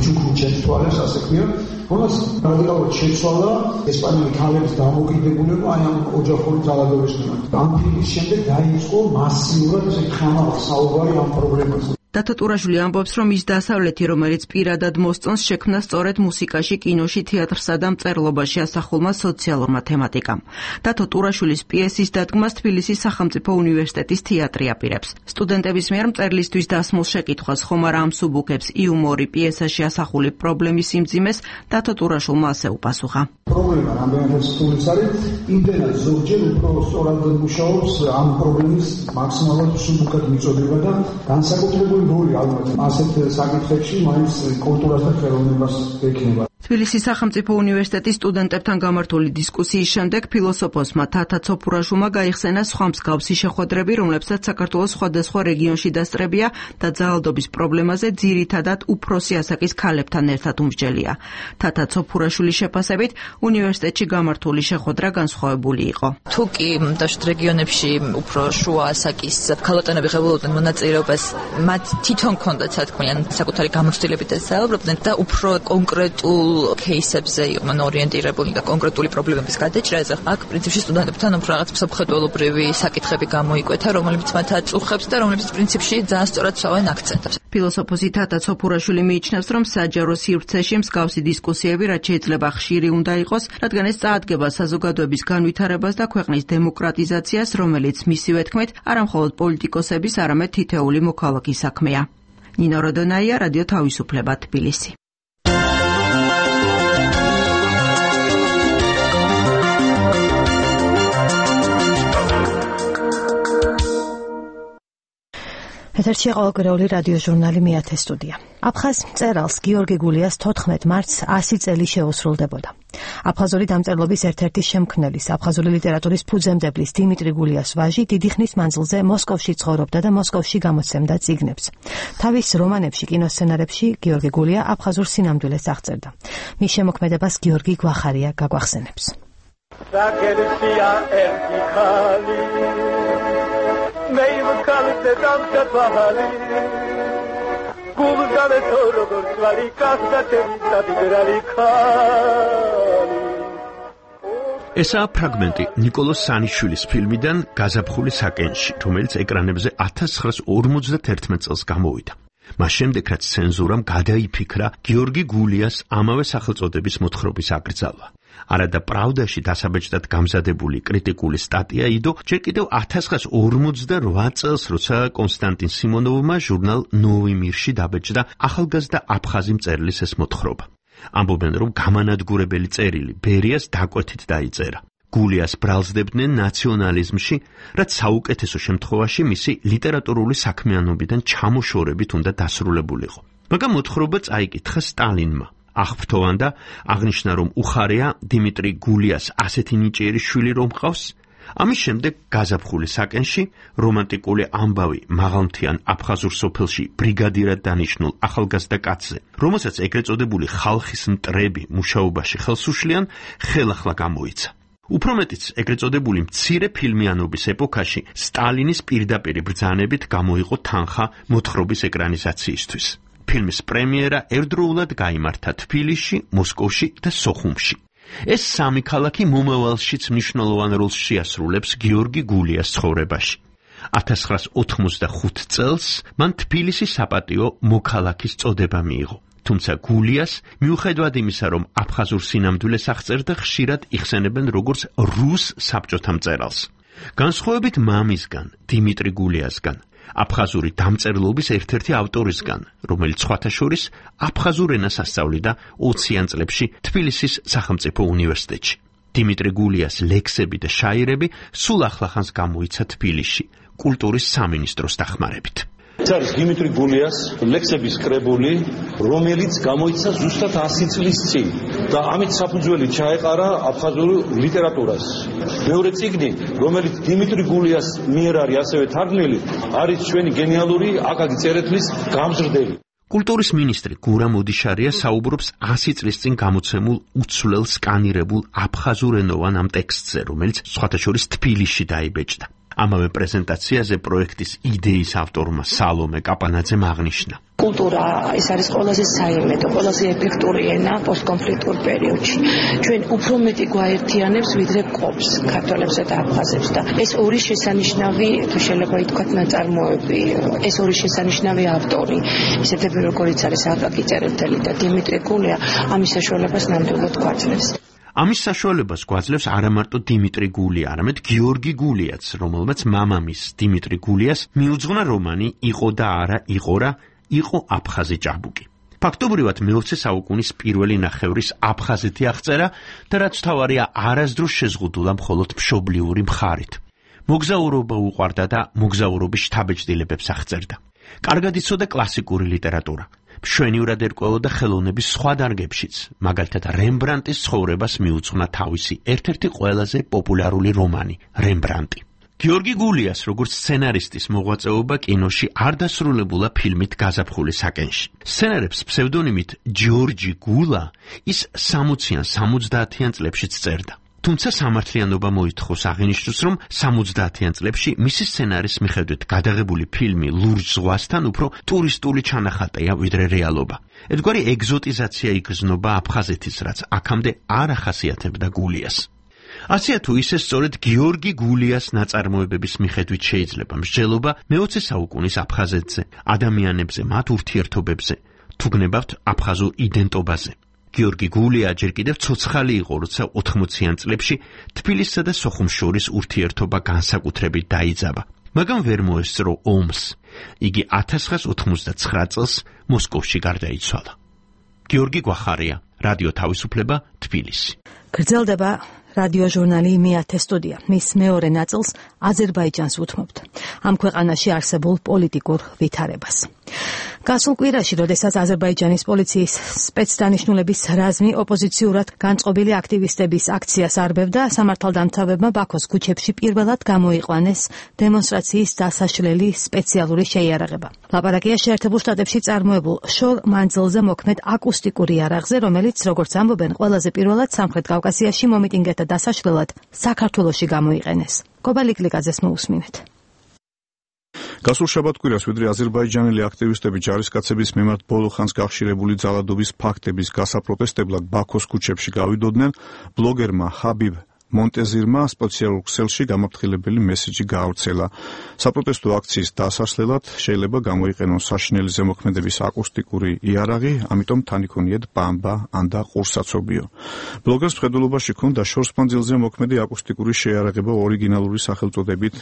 „ჩუქრუჩის თვალებს“, ასე ქვია, რომელსაც რადიკალურად შეცვალა ესპანელი ქალების დამოკიდებულება აი ამ ოჯახური ძალადობის მიმართ. ამ ფილმის შემდეგ დაიწყო მასიურად ესე ხამაყ საუბარი ამ პრობლემაზე. დათო ტურაშვილი ამბობს, რომ ის დასავლეთი, რომელიც პირადად მოსწონს, შექმნა სწორედ მუსიკაში, კინოში, თეატრსა და მწერლობაში ასახულმა სოციალურმა თემატიკამ. დათო ტურაშვილის პიესის დადგმას თბილისის სახელმწიფო უნივერსიტეტის თეატრი აპირებს. სტუდენტების მიერ მწერლისთვის დასმულ შეკითხვას ხომ არა ამსუბუქებს იუმორი პიესაში ასახული პრობლემის სიმძიმეს, დათო ტურაშვილმა ასე უპასუხა. პრობლემა რამდენად სრულიც არის, იმდენად ზოგჯერ უფრო სწორად მუშაობს ამ პრობლემის მაქსიმალურად მსუბუქად მიწოდება და განსაკუთრებული როლი ალბათ ასეთ საკითხებში მაინც კულტურას და ხელოვნებას ექნება. თბილისის სახელმწიფო უნივერსიტეტის სტუდენტებთან გამართული დისკუსიის შემდეგ ფილოსოფოსმა თათა ცოფურაშვილმა გაიხსენა სხვა მსგავსი შეხვედრები, რომლებსაც საქართველოს სხვადასხვა რეგიონში დასწრებია და ძალადობის პრობლემაზე ძირითადად უფროსი ასაკის ქალებთან ერთად უმსჯელია. თათა ცოფურაშვილის შეფასებით უნივერსიტეტში გამართული შეხვედრა განსხვავებული იყო. თუ კი დაშვით რეგიონებში უფრო შუა ასაკის ქალბატონები ღებულობდნენ მონაწილეობას, მათ თვითონ ჰქონდათ სათქმიან საკუთარი გამოცდილებით ესაუბრებდნენ და უფრო კონკრეტულ кейსებზე იყვნენ ორიენტირებული და კონკრეტული პრობლემების გადაჭრაზე. აქ პრინციპში სტუდენტებთან უფრო რაღაც მსოფლმხედველობრივი საკითხები გამოიკვეთა, რომლებიც მათ აწუხებს და რომლებიც პრინციპში ძალიან სწორად სვავენ აქცენტებს. ფილოსოფოსი თათა ცოფურაშვილი მიიჩნევს, რომ საჯარო სივრცეში მსგავსი დისკუსიები რაც შეიძლება ხშირი უნდა იყოს, რადგან ეს წაადგება საზოგადოების განვითარებას და ქვეყნის დემოკრატიზაციას, რომელიც მისივე თქმით არა მხოლოდ პოლიტიკოსების, არამედ თითეული მოქალაქის საქმეა. ნინო როდონაია, რადიო თავისუფლება, თბილისი. ეთერში ყოველკვირეული რადიო ჟურნალი მეათე სტუდია. აფხაზ მწერალს გიორგი გულიას 14 მარტს 100 წელი შეუსრულდებოდა. აფხაზური დამწერლობის ერთ-ერთი შემქმნელის, აფხაზური ლიტერატურის ფუძემდებლის დიმიტრი გულიას ვაჟი დიდი ხნის მანძილზე მოსკოვში ცხოვრობდა და მოსკოვში გამოცემდა წიგნებს. თავის რომანებში, კინოსცენარებში გიორგი გულია აფხაზურ სინამდვილეს აღწერდა. მის შემოქმედებას გიორგი გვახარია გაგვახსენებს. Zagersia ertikali Meyv kalite damca bahali Gulgale torogor svali kasta temisa vidrali kali ესაა ფრაგმენტი ნიკოლოზ სანიშვილის ფილმიდან გაზაფხული საკენში, რომელიც ეკრანებზე 1951 წელს გამოვიდა. მას შემდეგ რაც ცენზურამ გადაიფიქრა გიორგი გულიას ამავე სახელწოდების მოთხრობის აკრძალვა. არადა პრავდაში დასაბეჭდად გამზადებული კრიტიკული სტატია იდო ჯერ კიდევ 1948 წელს, როცა კონსტანტინ სიმონოვმა ჟურნალ ნოვი მირში დაბეჭდა ახალგაზრდა აფხაზი მწერლის ეს მოთხრობა. ამბობენ, რომ გამანადგურებელი წერილი ბერიას დაკვეთით დაიწერა. გულიას ბრალსდებდნენ ნაციონალიზმში, რაც საუკეთესო შემთხვევაში მისი ლიტერატურული საქმიანობიდან ჩამოშორებით უნდა დასრულებულიყო. მაგრამ მოთხრობა წაიკითხა სტალინმა. აღფრთოვანდა, აღნიშნა, რომ უხარია დიმიტრი გულიას ასეთი ნიჭიერი შვილი რომ ყავს. ამის შემდეგ გაზაფხული საკენში რომანტიკული ამბავი მაღალმთიან აფხაზურ სოფელში ბრიგადირად დანიშნულ ახალგაზრდა კაცზე, რომელსაც ეგრეთ წოდებული ხალხის მტრები მუშაობაში ხელს უშლიან, ხელახლა გამოიცა. უფრო მეტიც, ეგრეთ წოდებული მცირე ფილმიანობის ეპოქაში სტალინის პირდაპირი ბრძანებით გამოიყო თანხა მოთხრობის ეკრანიზაციისთვის. ფილმის პრემიერა ერთდროულად გაიმართა თბილისში, მოსკოვში და სოხუმში. ეს სამი ქალაქი მომავალშიც მნიშვნელოვან როლს შეასრულებს გიორგი გულიას ცხოვრებაში. 1985 წელს მან თბილისის საპატიო მოქალაქის წოდება მიიღო. თუმცა გულიას, მიუხედავად იმისა, რომ აფხაზურ სინამდვილეს აღწერდა, ხშირად იხსენებენ როგორც რუს საბჭოთა მწერალს. განსხვავებით მამისგან, დიმიტრი გულიასგან, აფხაზური დამწერლობის ერთ-ერთი ავტორისგან, რომელიც სხვათა შორის აფხაზურ ენას ასწავლიდა 20-იან წლებში თბილისის სახელმწიფო უნივერსიტეტში. დიმიტრი გულიას ლექსები და შაირები სულ ახლახანს გამოიცა თბილისში, კულტურის სამინისტროს დახმარებით. ეს არის დიმიტრი გულიას ლექსების კრებული, რომელიც გამოიცა ზუსტად 100 წლის წინ და ამით საფუძველი ჩაეყარა აფხაზურ ლიტერატურას. მეორე წიგნი, რომელიც დიმიტრი გულიას მიერ არის ასევე თარგმნილი, არის ჩვენი გენიალური აკაკი წერეთლის გამზრდელი. კულტურის მინისტრი გურამ ოდიშარია საუბრობს 100 წლის წინ გამოცემულ უცვლელ სკანირებულ აფხაზურენოვან ამ ტექსტზე, რომელიც სხვათა შორის თბილისში დაიბეჭდა. ამავე პრეზენტაციაზე პროექტის იდეის ავტორმა სალომე კაპანაძემ აღნიშნა. კულტურა ეს არის ყველაზე საიმედო, ყველაზე ეფექტური ენა პოსტკონფლიქტურ პერიოდში. ჩვენ უფრო მეტი გვაერთიანებს, ვიდრე ყოფს ქართველებსა და აფხაზებს და ეს ორი შესანიშნავი, თუ შეიძლება ითქვათ, ნაწარმოები, ეს ორი შესანიშნავი ავტორი, ისეთები როგორიც არის აკაკი წერეთელი და დიმიტრი გულია, ამის საშუალებას ნამდვილად გვაძლევს. ამის საშუალებას გვაძლევს არა მარტო დიმიტრი გულია, არამედ გიორგი გულიაც, რომელმაც მამამის დიმიტრი გულიას მიუძღვნა რომანი „იყო და არა იყო რა, იყო აფხაზი ჭაბუკი“. ფაქტობრივად მე-20 საუკუნის პირველი ნახევრის აფხაზეთი აღწერა და რაც თავარია არასდროს შეზღუდულა მხოლოდ მშობლიური მხარით. მოგზაურობა უყვარდა და მოგზაურობის შთაბეჭდილებებს აღწერდა. კარგად იცოდა კლასიკური ლიტერატურა. მშვენივრად ერკვეოდა ხელოვნების სხვა დარგებშიც, მაგალითად რემბრანტის ცხოვრებას მიუძღვნა თავისი ერთ-ერთი ყველაზე პოპულარული რომანი რემბრანტი. გიორგი გულიას როგორც სცენარისტის მოღვაწეობა კინოში არ დასრულებულა ფილმით გაზაფხული საკენში. სცენარებს ფსევდონიმით ჯორჯი გულა ის 60-იან 70-იან წლებშიც წერდა. თუმცა სამართლიანობა მოითხოვს აღინიშნოს, რომ 70-იან წლებში მისი სცენარის მიხედვით გადაღებული ფილმი ლურჯ ზღვასთან უფრო ტურისტული ჩანახატია ვიდრე რეალობა. ერთგვარი ეგზოტიზაცია იგრძნობა აფხაზეთის, რაც აქამდე არ ახასიათებდა გულიას. ასეა თუ ისე სწორედ გიორგი გულიას ნაწარმოებების მიხედვით შეიძლება მსჯელობა მე-20 საუკუნის აფხაზეთზე, ადამიანებზე, მათ ურთიერთობებზე, თუ გნებავთ აფხაზურ იდენტობაზე. გიორგი გულია ჯერ კიდევ ცოცხალი იყო, როცა 80-იან წლებში თბილისსა და სოხუმს შორის ურთიერთობა განსაკუთრებით დაიძაბა. მაგრამ ვერ მოესწრო ომს. იგი 1989 წელს მოსკოვში გარდაიცვალა. გიორგი გვახარია, რადიო თავისუფლება, თბილისი. გრძელდება რადიო ჟურნალი მე-10 სტუდია. მის მეორე ნაწილს აზერბაიჯანს უთმობთ. ამ ქვეყანაში არსებულ პოლიტიკურ ვითარებას. გასულ კვირაში, როდესაც აზერბაიჯანის პოლიციის სპეცდანიშნულების რაზმი ოპოზიციურად განწყობილი აქტივისტების აქციას არბევდა, სამართალდამცავებმა ბაქოს ქუჩებში პირველად გამოიყვანეს დემონსტრაციის დასაშლელი სპეციალური შეიარაღება. ლაპარაკია შეერთებულ შტატებში წარმოებულ შორ მანძილზე მოქმედ აკუსტიკური იარაღზე, რომელიც, როგორც ამბობენ, ყველაზე პირველად სამხრეთ კავკასიაში მომიტინგეთა დასაშლელად საქართველოში გამოიყენეს. კობალიკ ლიკაძეს მოусმინეთ. გასულ შაბათ-კვირას ვიდრე აზერბაიჯანელი აქტივისტები ჯარისკაცების მიმართ ბოლო ხანს გახშირებული ძალადობის ფაქტების გასაპროტესტებლად ბაქოს ქუჩებში გავიდოდნენ, ბლოგერმა ჰაბიბ მონტეზირმა სპეციალურ ქსელში გამაფრთხილებელი მესიჯი გაავრცელა. საპროტესტო აქციის დასასვლელად შეიძლება გამოიყენონ საშინელი ზემოქმედების აკუსტიკური იარაღი, ამიტომ თან იქონიეთ ბამბა ან და ყურსაცობიო. ბლოგერს მხედველობაში ჰქონდა შორს მანძილზე მოქმედი აკუსტიკური შეიარაღება ორიგინალური სახელწოდებით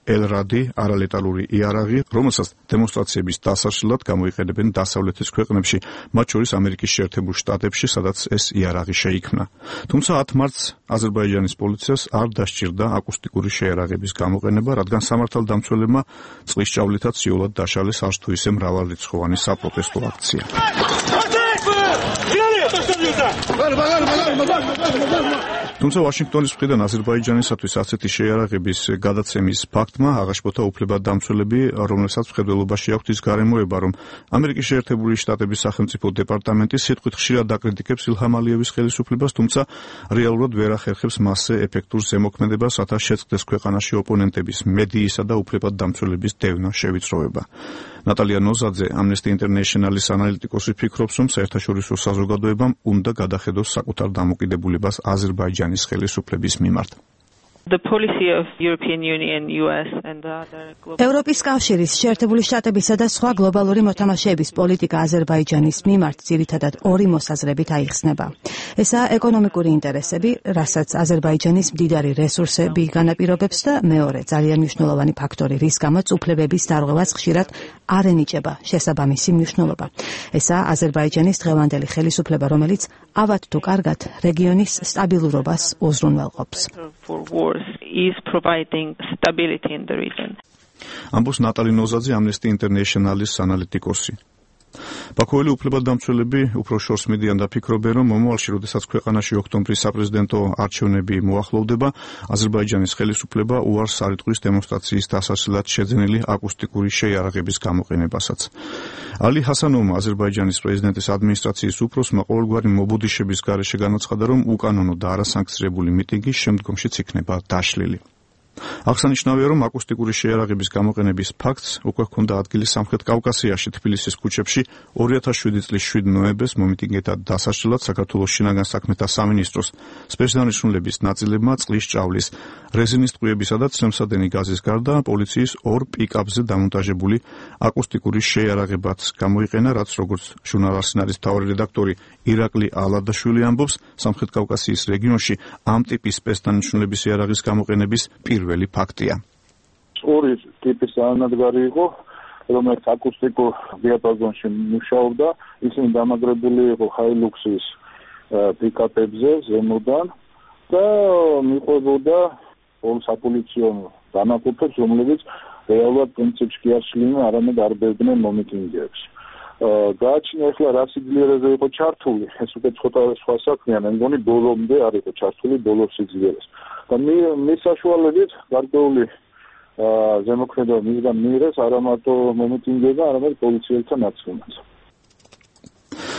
ელრადი არალეტალური იარაღი, რომელსაც დემონსტრაციების დასაშლელად გამოიყენებენ დასავლეთის ქვეყნებში, მათ შორის ამერიკის შეერთებულ შტატებში, სადაც ეს იარაღი შეიქმნა. თუმცა 10 მარტს აზერბაიჯანის პოლიციას არ დასჭირდა აკუსტიკური შეიარაღების გამოყენება, რადგან სამართალდამცველებმა წყლის ჭავლითაც სიულად დაშალეს არც თუ ისე მრავალრიცხოვანი საპროტესტო აქცია. თუმცა ვაშინგტონის მხრიდან აზერბაიჯანისათვის ასეთი შეიარაღების გადაცემის ფაქტმა აღაშფოთა უფლებადამცველები, რომელსაც მხედველობაში აქვთ ის გარემოება, რომ ამერიკის შეერთებული შტატების სახელმწიფო დეპარტამენტი სიტყვით ხშირად აკრიტიკებს ილჰამ ალიევის ხელისუფლებას, თუმცა რეალურად ვერ ახერხებს მასზე ეფექტურ ზემოქმედებას, რათა შეწყდეს ქვეყანაში ოპონენტების, მედიისა და უფლებადამცველების დევნა შევიწროება. ნატალია ნოზაძე, Amnesty International-ის ანალიტიკოსი ფიქრობს, რომ საერთაშორისო საზოგადოებამ უნდა გადახედოს საკუთარ დამოკიდებულებას აზერბაიჯანის ხელისუფლების მიმართ. ევროპის კავშირის, შეერთებული შტატებისა და სხვა გლობალური მოთამაშეების პოლიტიკა აზერბაიჯანის მიმართ ძირითადად ორი მოსაზრებით აიხსნება. ესაა ეკონომიკური ინტერესები, რასაც აზერბაიჯანის მდიდარი რესურსები განაპირობებს და მეორე ძალიან მნიშვნელოვანი ფაქტორი, რის გამოც უფლებების დარღვევას ხშირად არ ენიჭება შესაბამისი მნიშვნელობა. ესაა აზერბაიჯანის დღევანდელი ხელისუფლება, რომელიც ავად თუ კარგად რეგიონის სტაბილურობას უზრუნველყოფს. is providing stability in the region. ამბობს ნატალი ნოზაძე, Amnesty International-ის ანალიტიკოსი. ბაქოელი უფლებადამცველები უფრო შორს მიდიან და ფიქრობენ, რომ მომავალში, როდესაც ქვეყანაში ოქტომბრის საპრეზიდენტო არჩევნები მოახლოვდება, აზერბაიჯანის ხელისუფლება უარს არ იტყვის დემონსტრაციის დასასვლელად შეძენილი აკუსტიკური შეიარაღების გამოყენებასაც. ალი ჰასანოვმა, აზერბაიჯანის პრეზიდენტის ადმინისტრაციის უფროსმა, ყოველგვარი მობუდიშების გარეშე განაცხადა, რომ უკანონო და არასანქცირებული მიტინგი შემდგომშიც იქნება დაშლილი. აღსანიშნავია, რომ აკუსტიკური შეიარაღების გამოყენების ფაქტს უკვე ჰქონდა ადგილი სამხრეთ კავკასიაში, თბილისის ქუჩებში 2007 წლის 7 ნოემბერს მომიტინგეთა დასაშლელად საქართველოს შინაგან საქმეთა სამინისტროს სპეცდანიშნულების ნაწილებმა წყლის ჭავლის, რეზინის ტყვიებისა და ცრემსადენი გაზის გარდა პოლიციის 2 პიკაპზე დამონტაჟებული აკუსტიკური შეიარაღებაც გამოიყენა, რაც როგორც ჟურნალ არსენალის მთავარი რედაქტორი ირაკლი ალადაშვილი ამბობს, სამხრეთ კავკასიის რეგიონში ამ ტიპის სპეცდანიშნულების იარაღის გამოყენების პირველი ფაქტია. ორი ტიპის ანადგარი იყო, რომელიც აკუსტიკურ დიაპაზონში მუშაობდა, ისინი დამაგრებული იყო ჰაილუქსის პიკაპებზე ზემოდან და მიყვებოდა ორ საპოლიციო დანაყოფებს, რომლებიც რეალურად პრინციპში კი არ შლიდნენ, არამედ არბევდნენ მომიტინგეებს. გააჩნია ახლა რა სიძლიერეზე იყო ჩართული, ეს უკვე ცოტა სხვა საქმეა, მე მგონი ბოლომდე არ იყო ჩართული ბოლო სიძლიერეს. და მის საშუალებით გარკვეული ზემოქმედება მისგან მიიღეს არა მარტო მომიტინგეება, არამედ პოლიციელთა ნაწილმაც.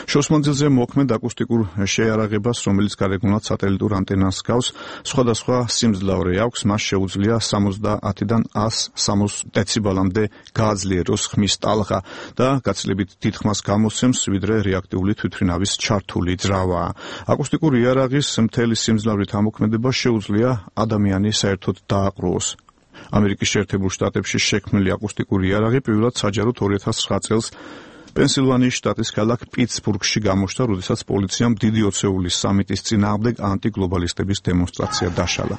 შორს მანძილზე მოქმედ აკუსტიკურ შეიარაღებას, რომელიც გარეგნულად სატელიტურ ანტენას გავს, სხვადასხვა სიმძლავრე აქვს, მას შეუძლია 70-დან 160 დეციბელამდე გააძლიეროს ხმის ტალღა და გაცილებით დიდ ხმას გამოსცემს, ვიდრე რეაქტიული თვითმფრინავის ჩართული ძრავა. აკუსტიკური იარაღის მთელი სიმძლავრით ამოქმედება შეუძლია ადამიანი საერთოდ დააყრუოს. ამერიკის შეერთებულ შტატებში შექმნილი აკუსტიკური იარაღი პირველად საჯაროდ 2009 წელს პენსილვანიის შტატის ქალაქ პიტსბურგში გამოჩნდა, როდესაც პოლიციამ დიდი ოცეულის სამიტის წინააღმდეგ ანტიგლობალისტების დემონსტრაცია დაშალა.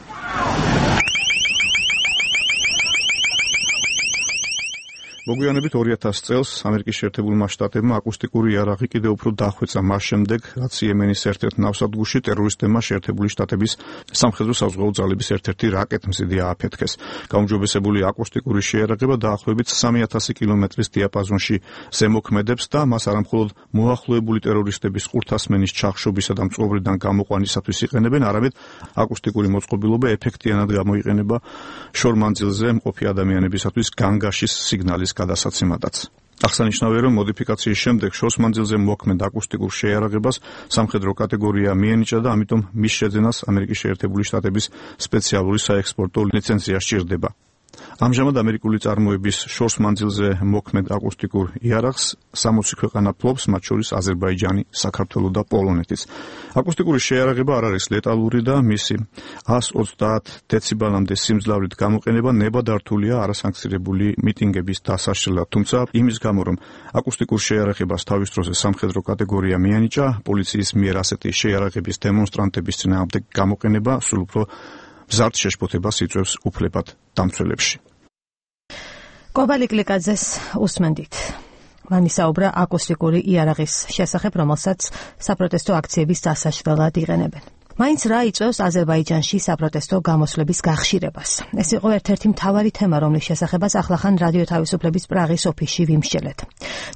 მოგვიანებით 2000 წელს ამერიკის შეერთებულმა შტატებმა აკუსტიკური იარაღი კიდევ უფრო დახვეწა მას შემდეგ, რაც იემენის ერთ-ერთ ნავსადგურში ტერორისტებმა შეერთებული შტატების სამხედრო საზღვაო ძალების ერთ-ერთი რაკეტმზიდი ააფეთქეს. გაუმჯობესებული აკუსტიკური შეიარაღება დაახლოებით 3000 კილომეტრის დიაპაზონში ზემოქმედებს და მას არამხოლოდ მოახლოებული ტერორისტების ყურთასმენის ჩახშობისა და მწყობრიდან გამოყვანისათვის იყენებენ, არამედ აკუსტიკური მოწყობილობა ეფექტიანად გამოიყენება შორმანძილზე მყოფი ადამიანებისათვის განგაშის სიგნალის გადასაცემადაც. აღსანიშნავია, რომ მოდიფიკაციის შემდეგ შორსმანძილზე მოქმედ აკუსტიკურ შეიარაღებას სამხედრო კატეგორია მიენიჭა და ამიტომ მის შეძენას ამერიკის შეერთებული შტატების სპეციალური საექსპორტო ლიცენზია სჭირდება. ამჟამად ამერიკული წარმოების შორსმანძილზე მოქმედ აკუსტიკურ იარაღს 60 ქვეყანა ფლობს, მათ შორის აზერბაიჯანი, საქართველო და პოლონეთიც. აკუსტიკური შეიარაღება არ არის ლეტალური და მისი 130 დეციბელამდე სიმძლავრით გამოყენება ნებადართულია არასანქცირებული მიტინგების დასაშლელად, თუმცა იმის გამო, რომ აკუსტიკურ შეიარაღებას თავის დროზე სამხედრო კატეგორია მიენიჭა, პოლიციის მიერ ასეთი შეიარაღების დემონსტრანტების წინააღმდეგ გამოყენება სულ უფრო მზარდ შეშფოთებას იწვევს უფლებად დამცველებში. კობალიკლიკაძეს უსმენდით. მან ისაუბრა აკუსტიკური იარაღის შესახებ, რომელსაც საპროტესტო აქციების დასაშლელად იყენებენ. მაინც რა იწვევს აზერბაიჯანში საპროტესტო გამოსვლების გახშირებას. ეს იყო ერთ-ერთი მთავარი თემა, რომლის შესახებაც ახლახან რადიო თავისუფლების პრაღის ოფისში ვიმსჯელეთ.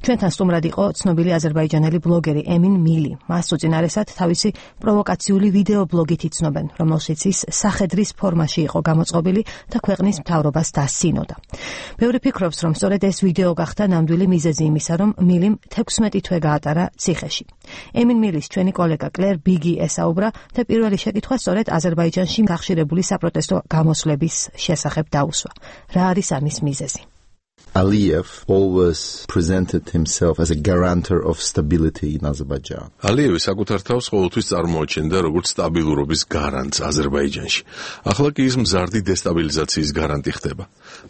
ჩვენთან სტუმრად იყო ცნობილი აზერბაიჯანელი ბლოგერი ემინ მილი. მას უწინარესად თავისი პროვოკაციული ვიდეო ბლოგით იცნობენ, რომელშიც ის სახედრის ფორმაში იყო გამოწყობილი და ქვეყნის მთავრობას დასცინოდა. ბევრი ფიქრობს, რომ სწორედ ეს ვიდეო გახდა ნამდვილი მიზეზი იმისა, რომ მილიმ 16 თვე გაატარა ციხეში. ემინ მილის ჩვენი კოლეგა კლერ ბიგი ესაუბრა და პირველი შეკითხვა სწორედ აზერბაიჯანში გახშირებული საპროტესტო გამოსვლების შესახებ დაუსვა. რა არის ამის მიზეზი? Aliyev always presented himself as a guarantor of stability in Azerbaijan. Aliyev საკუთარ თავს ყოველთვის წარმოაჩენდა როგორც სტაბილურობის გარანტს აზერბაიჯანში. ახლა კი ის მზარდი დესტაბილიზაციის გარანტი ხდება.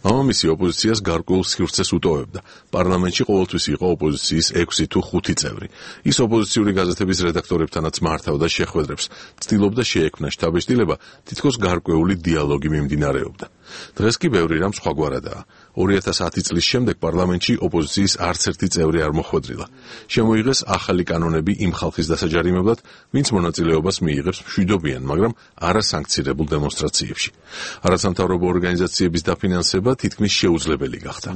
მამამისი ოპოზიციას გარკვეულ სივრცეს უტოვებდა. პარლამენტში ყოველთვის იყო ოპოზიციის 6 თუ 5 წევრი. ის ოპოზიციური გაზეთების რედაქტორებთანაც მართავდა შეხვედრებს, ცდილობდა შეექმნა შთაბეჭდილება, თითქოს გარკვეული დიალოგი მიმდინარეობდა. დღეს კი ბევრი რამ სხვაგვარადაა. 2010 წლის შემდეგ პარლამენტში ოპოზიციის არც ერთი წევრი არ მოხვედრილა. შემოიღეს ახალი კანონები იმ ხალხის დასაჯარიმებლად, ვინც მონაწილეობას მიიღებს მშვიდობიან, მაგრამ არასანქცირებულ დემონსტრაციებში. არასამთავრობო ორგანიზაციების დაფინანსება თითქმის შეუძლებელი გახდა.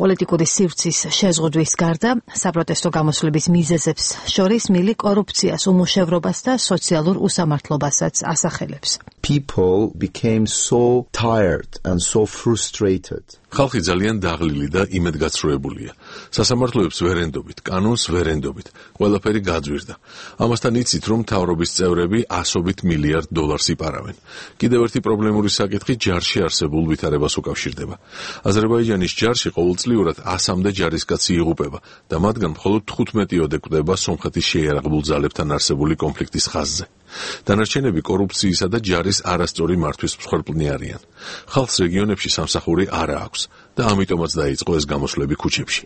პოლიტიკური სივრცის შეზღუდვის გარდა, საპროტესტო გამოსვლების მიზეზებს შორის მილი კორუფციას, უმუშევრობას და სოციალურ უსამართლობასაც ასახელებს. People became so tired and so frustrated. ხალხი ძალიან დაღლილი და იმედგაცრუებულია. სასამართლოებს ვერ ენდობით, კანონს ვერ ენდობით. ყველაფერი გაძვირდა. ამასთან იცით, რომ მთავრობის წევრები ასობით მილიარდ დოლარს იპარავენ. კიდევ ერთი პრობლემური საკითხი ჯარში არსებულ ვითარებას უკავშირდება. აზერბაიჯანის ჯარში ყოველწლიურად 100-მდე ჯარისკაცი იღუპება და მათგან მხოლოდ 15-ოდე კვდება სომხეთის შეიარაღებულ ძალებთან არსებული კონფლიქტის ხაზზე. დანარჩენები კორუფციისა და ჯარის არასწორი მართვის მსხვერპლნი არიან. ხალხს რეგიონებში სამსახური არ აქვს და ამიტომაც დაიწყო ეს გამოსვლები ქუჩებში.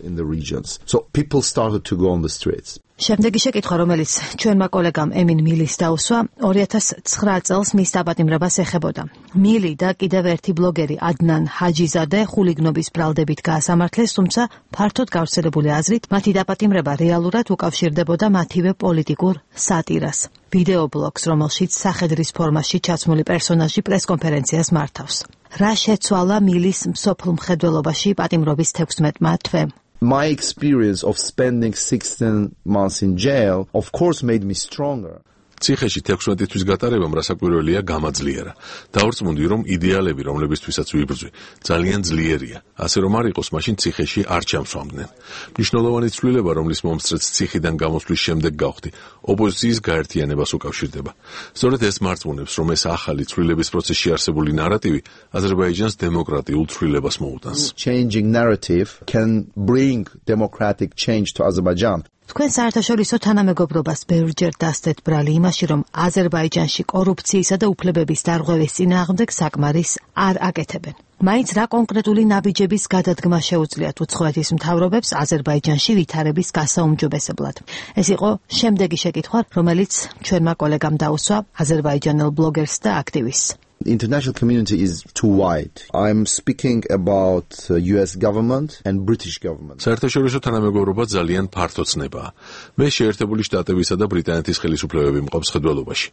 So people started to go on the streets. შემდეგი შეკითხვა, რომელიც ჩვენმა კოლეგამ ემინ მილის დაუსვა, 2009 წელს მის დაპატიმრებას ეხებოდა. მილი და კიდევ ერთი ბლოგერი ადნან ჰაჯიზადე ხულიგნობის ბრალდებით გაასამართლეს, თუმცა ფართოდ გავრცელებული აზრით, მათი დაპატიმრება რეალურად უკავშირდებოდა მათივე პოლიტიკურ სატირას. ვიდეო ბლოგს, რომელშიც სახედრის ფორმაში ჩაცმული პერსონაჟი პრესკონფერენციას მართავს. რა შეცვალა მილის მსოფლ მხედველობაში პატიმრობის 16 თვემ? My experience of spending 16 months in jail, of course, made me stronger. ციხეში 16 თვის გატარებამ რასაკვირველია გამაძლიერა. დავრწმუნდი, რომ იდეალები, რომლებისთვისაც ვიბრძვი, ძალიან ძლიერია. ასე რომ არ იყოს, მაშინ ციხეში არ ჩამსვამდნენ. მნიშვნელოვანი ცვლილება, რომლის მომსწრეც ციხიდან გამოსვლის შემდეგ გავხდი, ოპოზიციის გაერთიანებას უკავშირდება. სწორედ ეს მარწმუნებს, რომ ეს ახალი ცვლილების პროცესში არსებული ნარატივი აზერბაიჯანს დემოკრატიულ ცვლილებას მოუტანს. Changing narrative can bring democratic change to Azerbaijan. თქვენ საერთაშორისო თანამეგობრობას ბევრჯერ დასდეთ ბრალი იმაში, რომ აზერბაიჯანში კორუფციისა და უფლებების დარღვევის წინააღმდეგ საკმარის არ აკეთებენ. მაინც რა კონკრეტული ნაბიჯების გადადგმა შეუძლიათ უცხოეთის მთავრობებს აზერბაიჯანში ვითარების გასაუმჯობესებლად? ეს იყო შემდეგი შეკითხვა, რომელიც ჩვენმა კოლეგამ დაუსვა აზერბაიჯანელ ბლოგერს და აქტივისტს. The international community is too wide. I'm speaking about US government and British government. საერთაშორისო თანამეგობრობა ძალიან ფართო ცნებაა. მე შეერთებული შტატებისა და ბრიტანეთის ხელისუფლებები მყოფ ხედველობაში.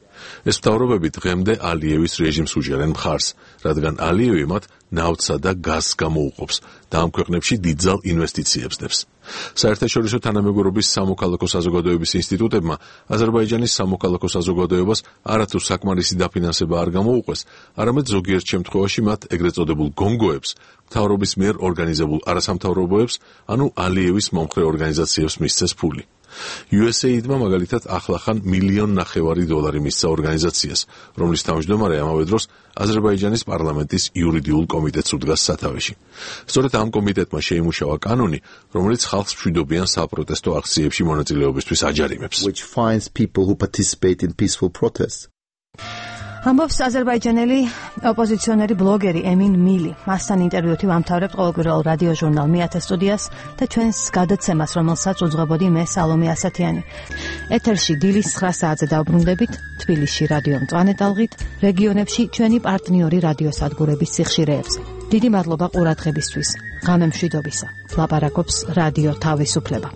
ეს მთავრობები დღემდე ალიევის რეჟიმს უჭერენ მხარს, რადგან ალიევი მათ ნავთსა და გაზს გამოუყოფს და ამ ქვეყნებში დიდძალ ინვესტიციებს დებს. საერთაშორისო თანამეგობრობის სამოქალაქო საზოგადოების ინსტიტუტებმა აზერბაიჯანის სამოქალაქო საზოგადოებას არათუ საკმარისი დაფინანსება არ გამოუყვეს, არამედ ზოგიერთ შემთხვევაში მათ ეგრეთ წოდებულ გონგოებს, მთავრობის მიერ ორგანიზებულ არასამთავრობოებს, ანუ ალიევის მომხრე ორგანიზაციებს მისცეს ფული. USAID-მა მაგალითად ახლახან $1.5 მილიონ მისცა ორგანიზაციას, რომლის თავმჯდომარე ამავე დროს აზერბაიჯანის პარლამენტის იურიდიულ კომიტეტს უდგას სათავეში. სწორედ ამ კომიტეტმა შეიმუშავა კანონი, რომელიც ხალხს მშვიდობიან საპროტესტო აქციებში მონაწილეობისთვის აჯარიმებს. Which finds people who participate in peaceful protests. ამბობს აზერბაიჯანელი ოპოზიციონერი ბლოგერი ემინ მილი. მასთან ინტერვიუთი ვამთავრებთ ყოველკვირეულ რადიო ჟურნალ მეათე სტუდიას და ჩვენს გადაცემას, რომელსაც უძღვებოდი მე სალომე ასათიანი. ეთერში დილის 9 საათზე დავბრუნდებით თბილისში რადიო მწვანეტალღით, რეგიონებში ჩვენი პარტნიორი რადიოსადგურების სიხშირეებზე. დიდი მადლობა ყურადღებისთვის. ღამე მშვიდობისა. ლაპარაკობს რადიო თავისუფლება.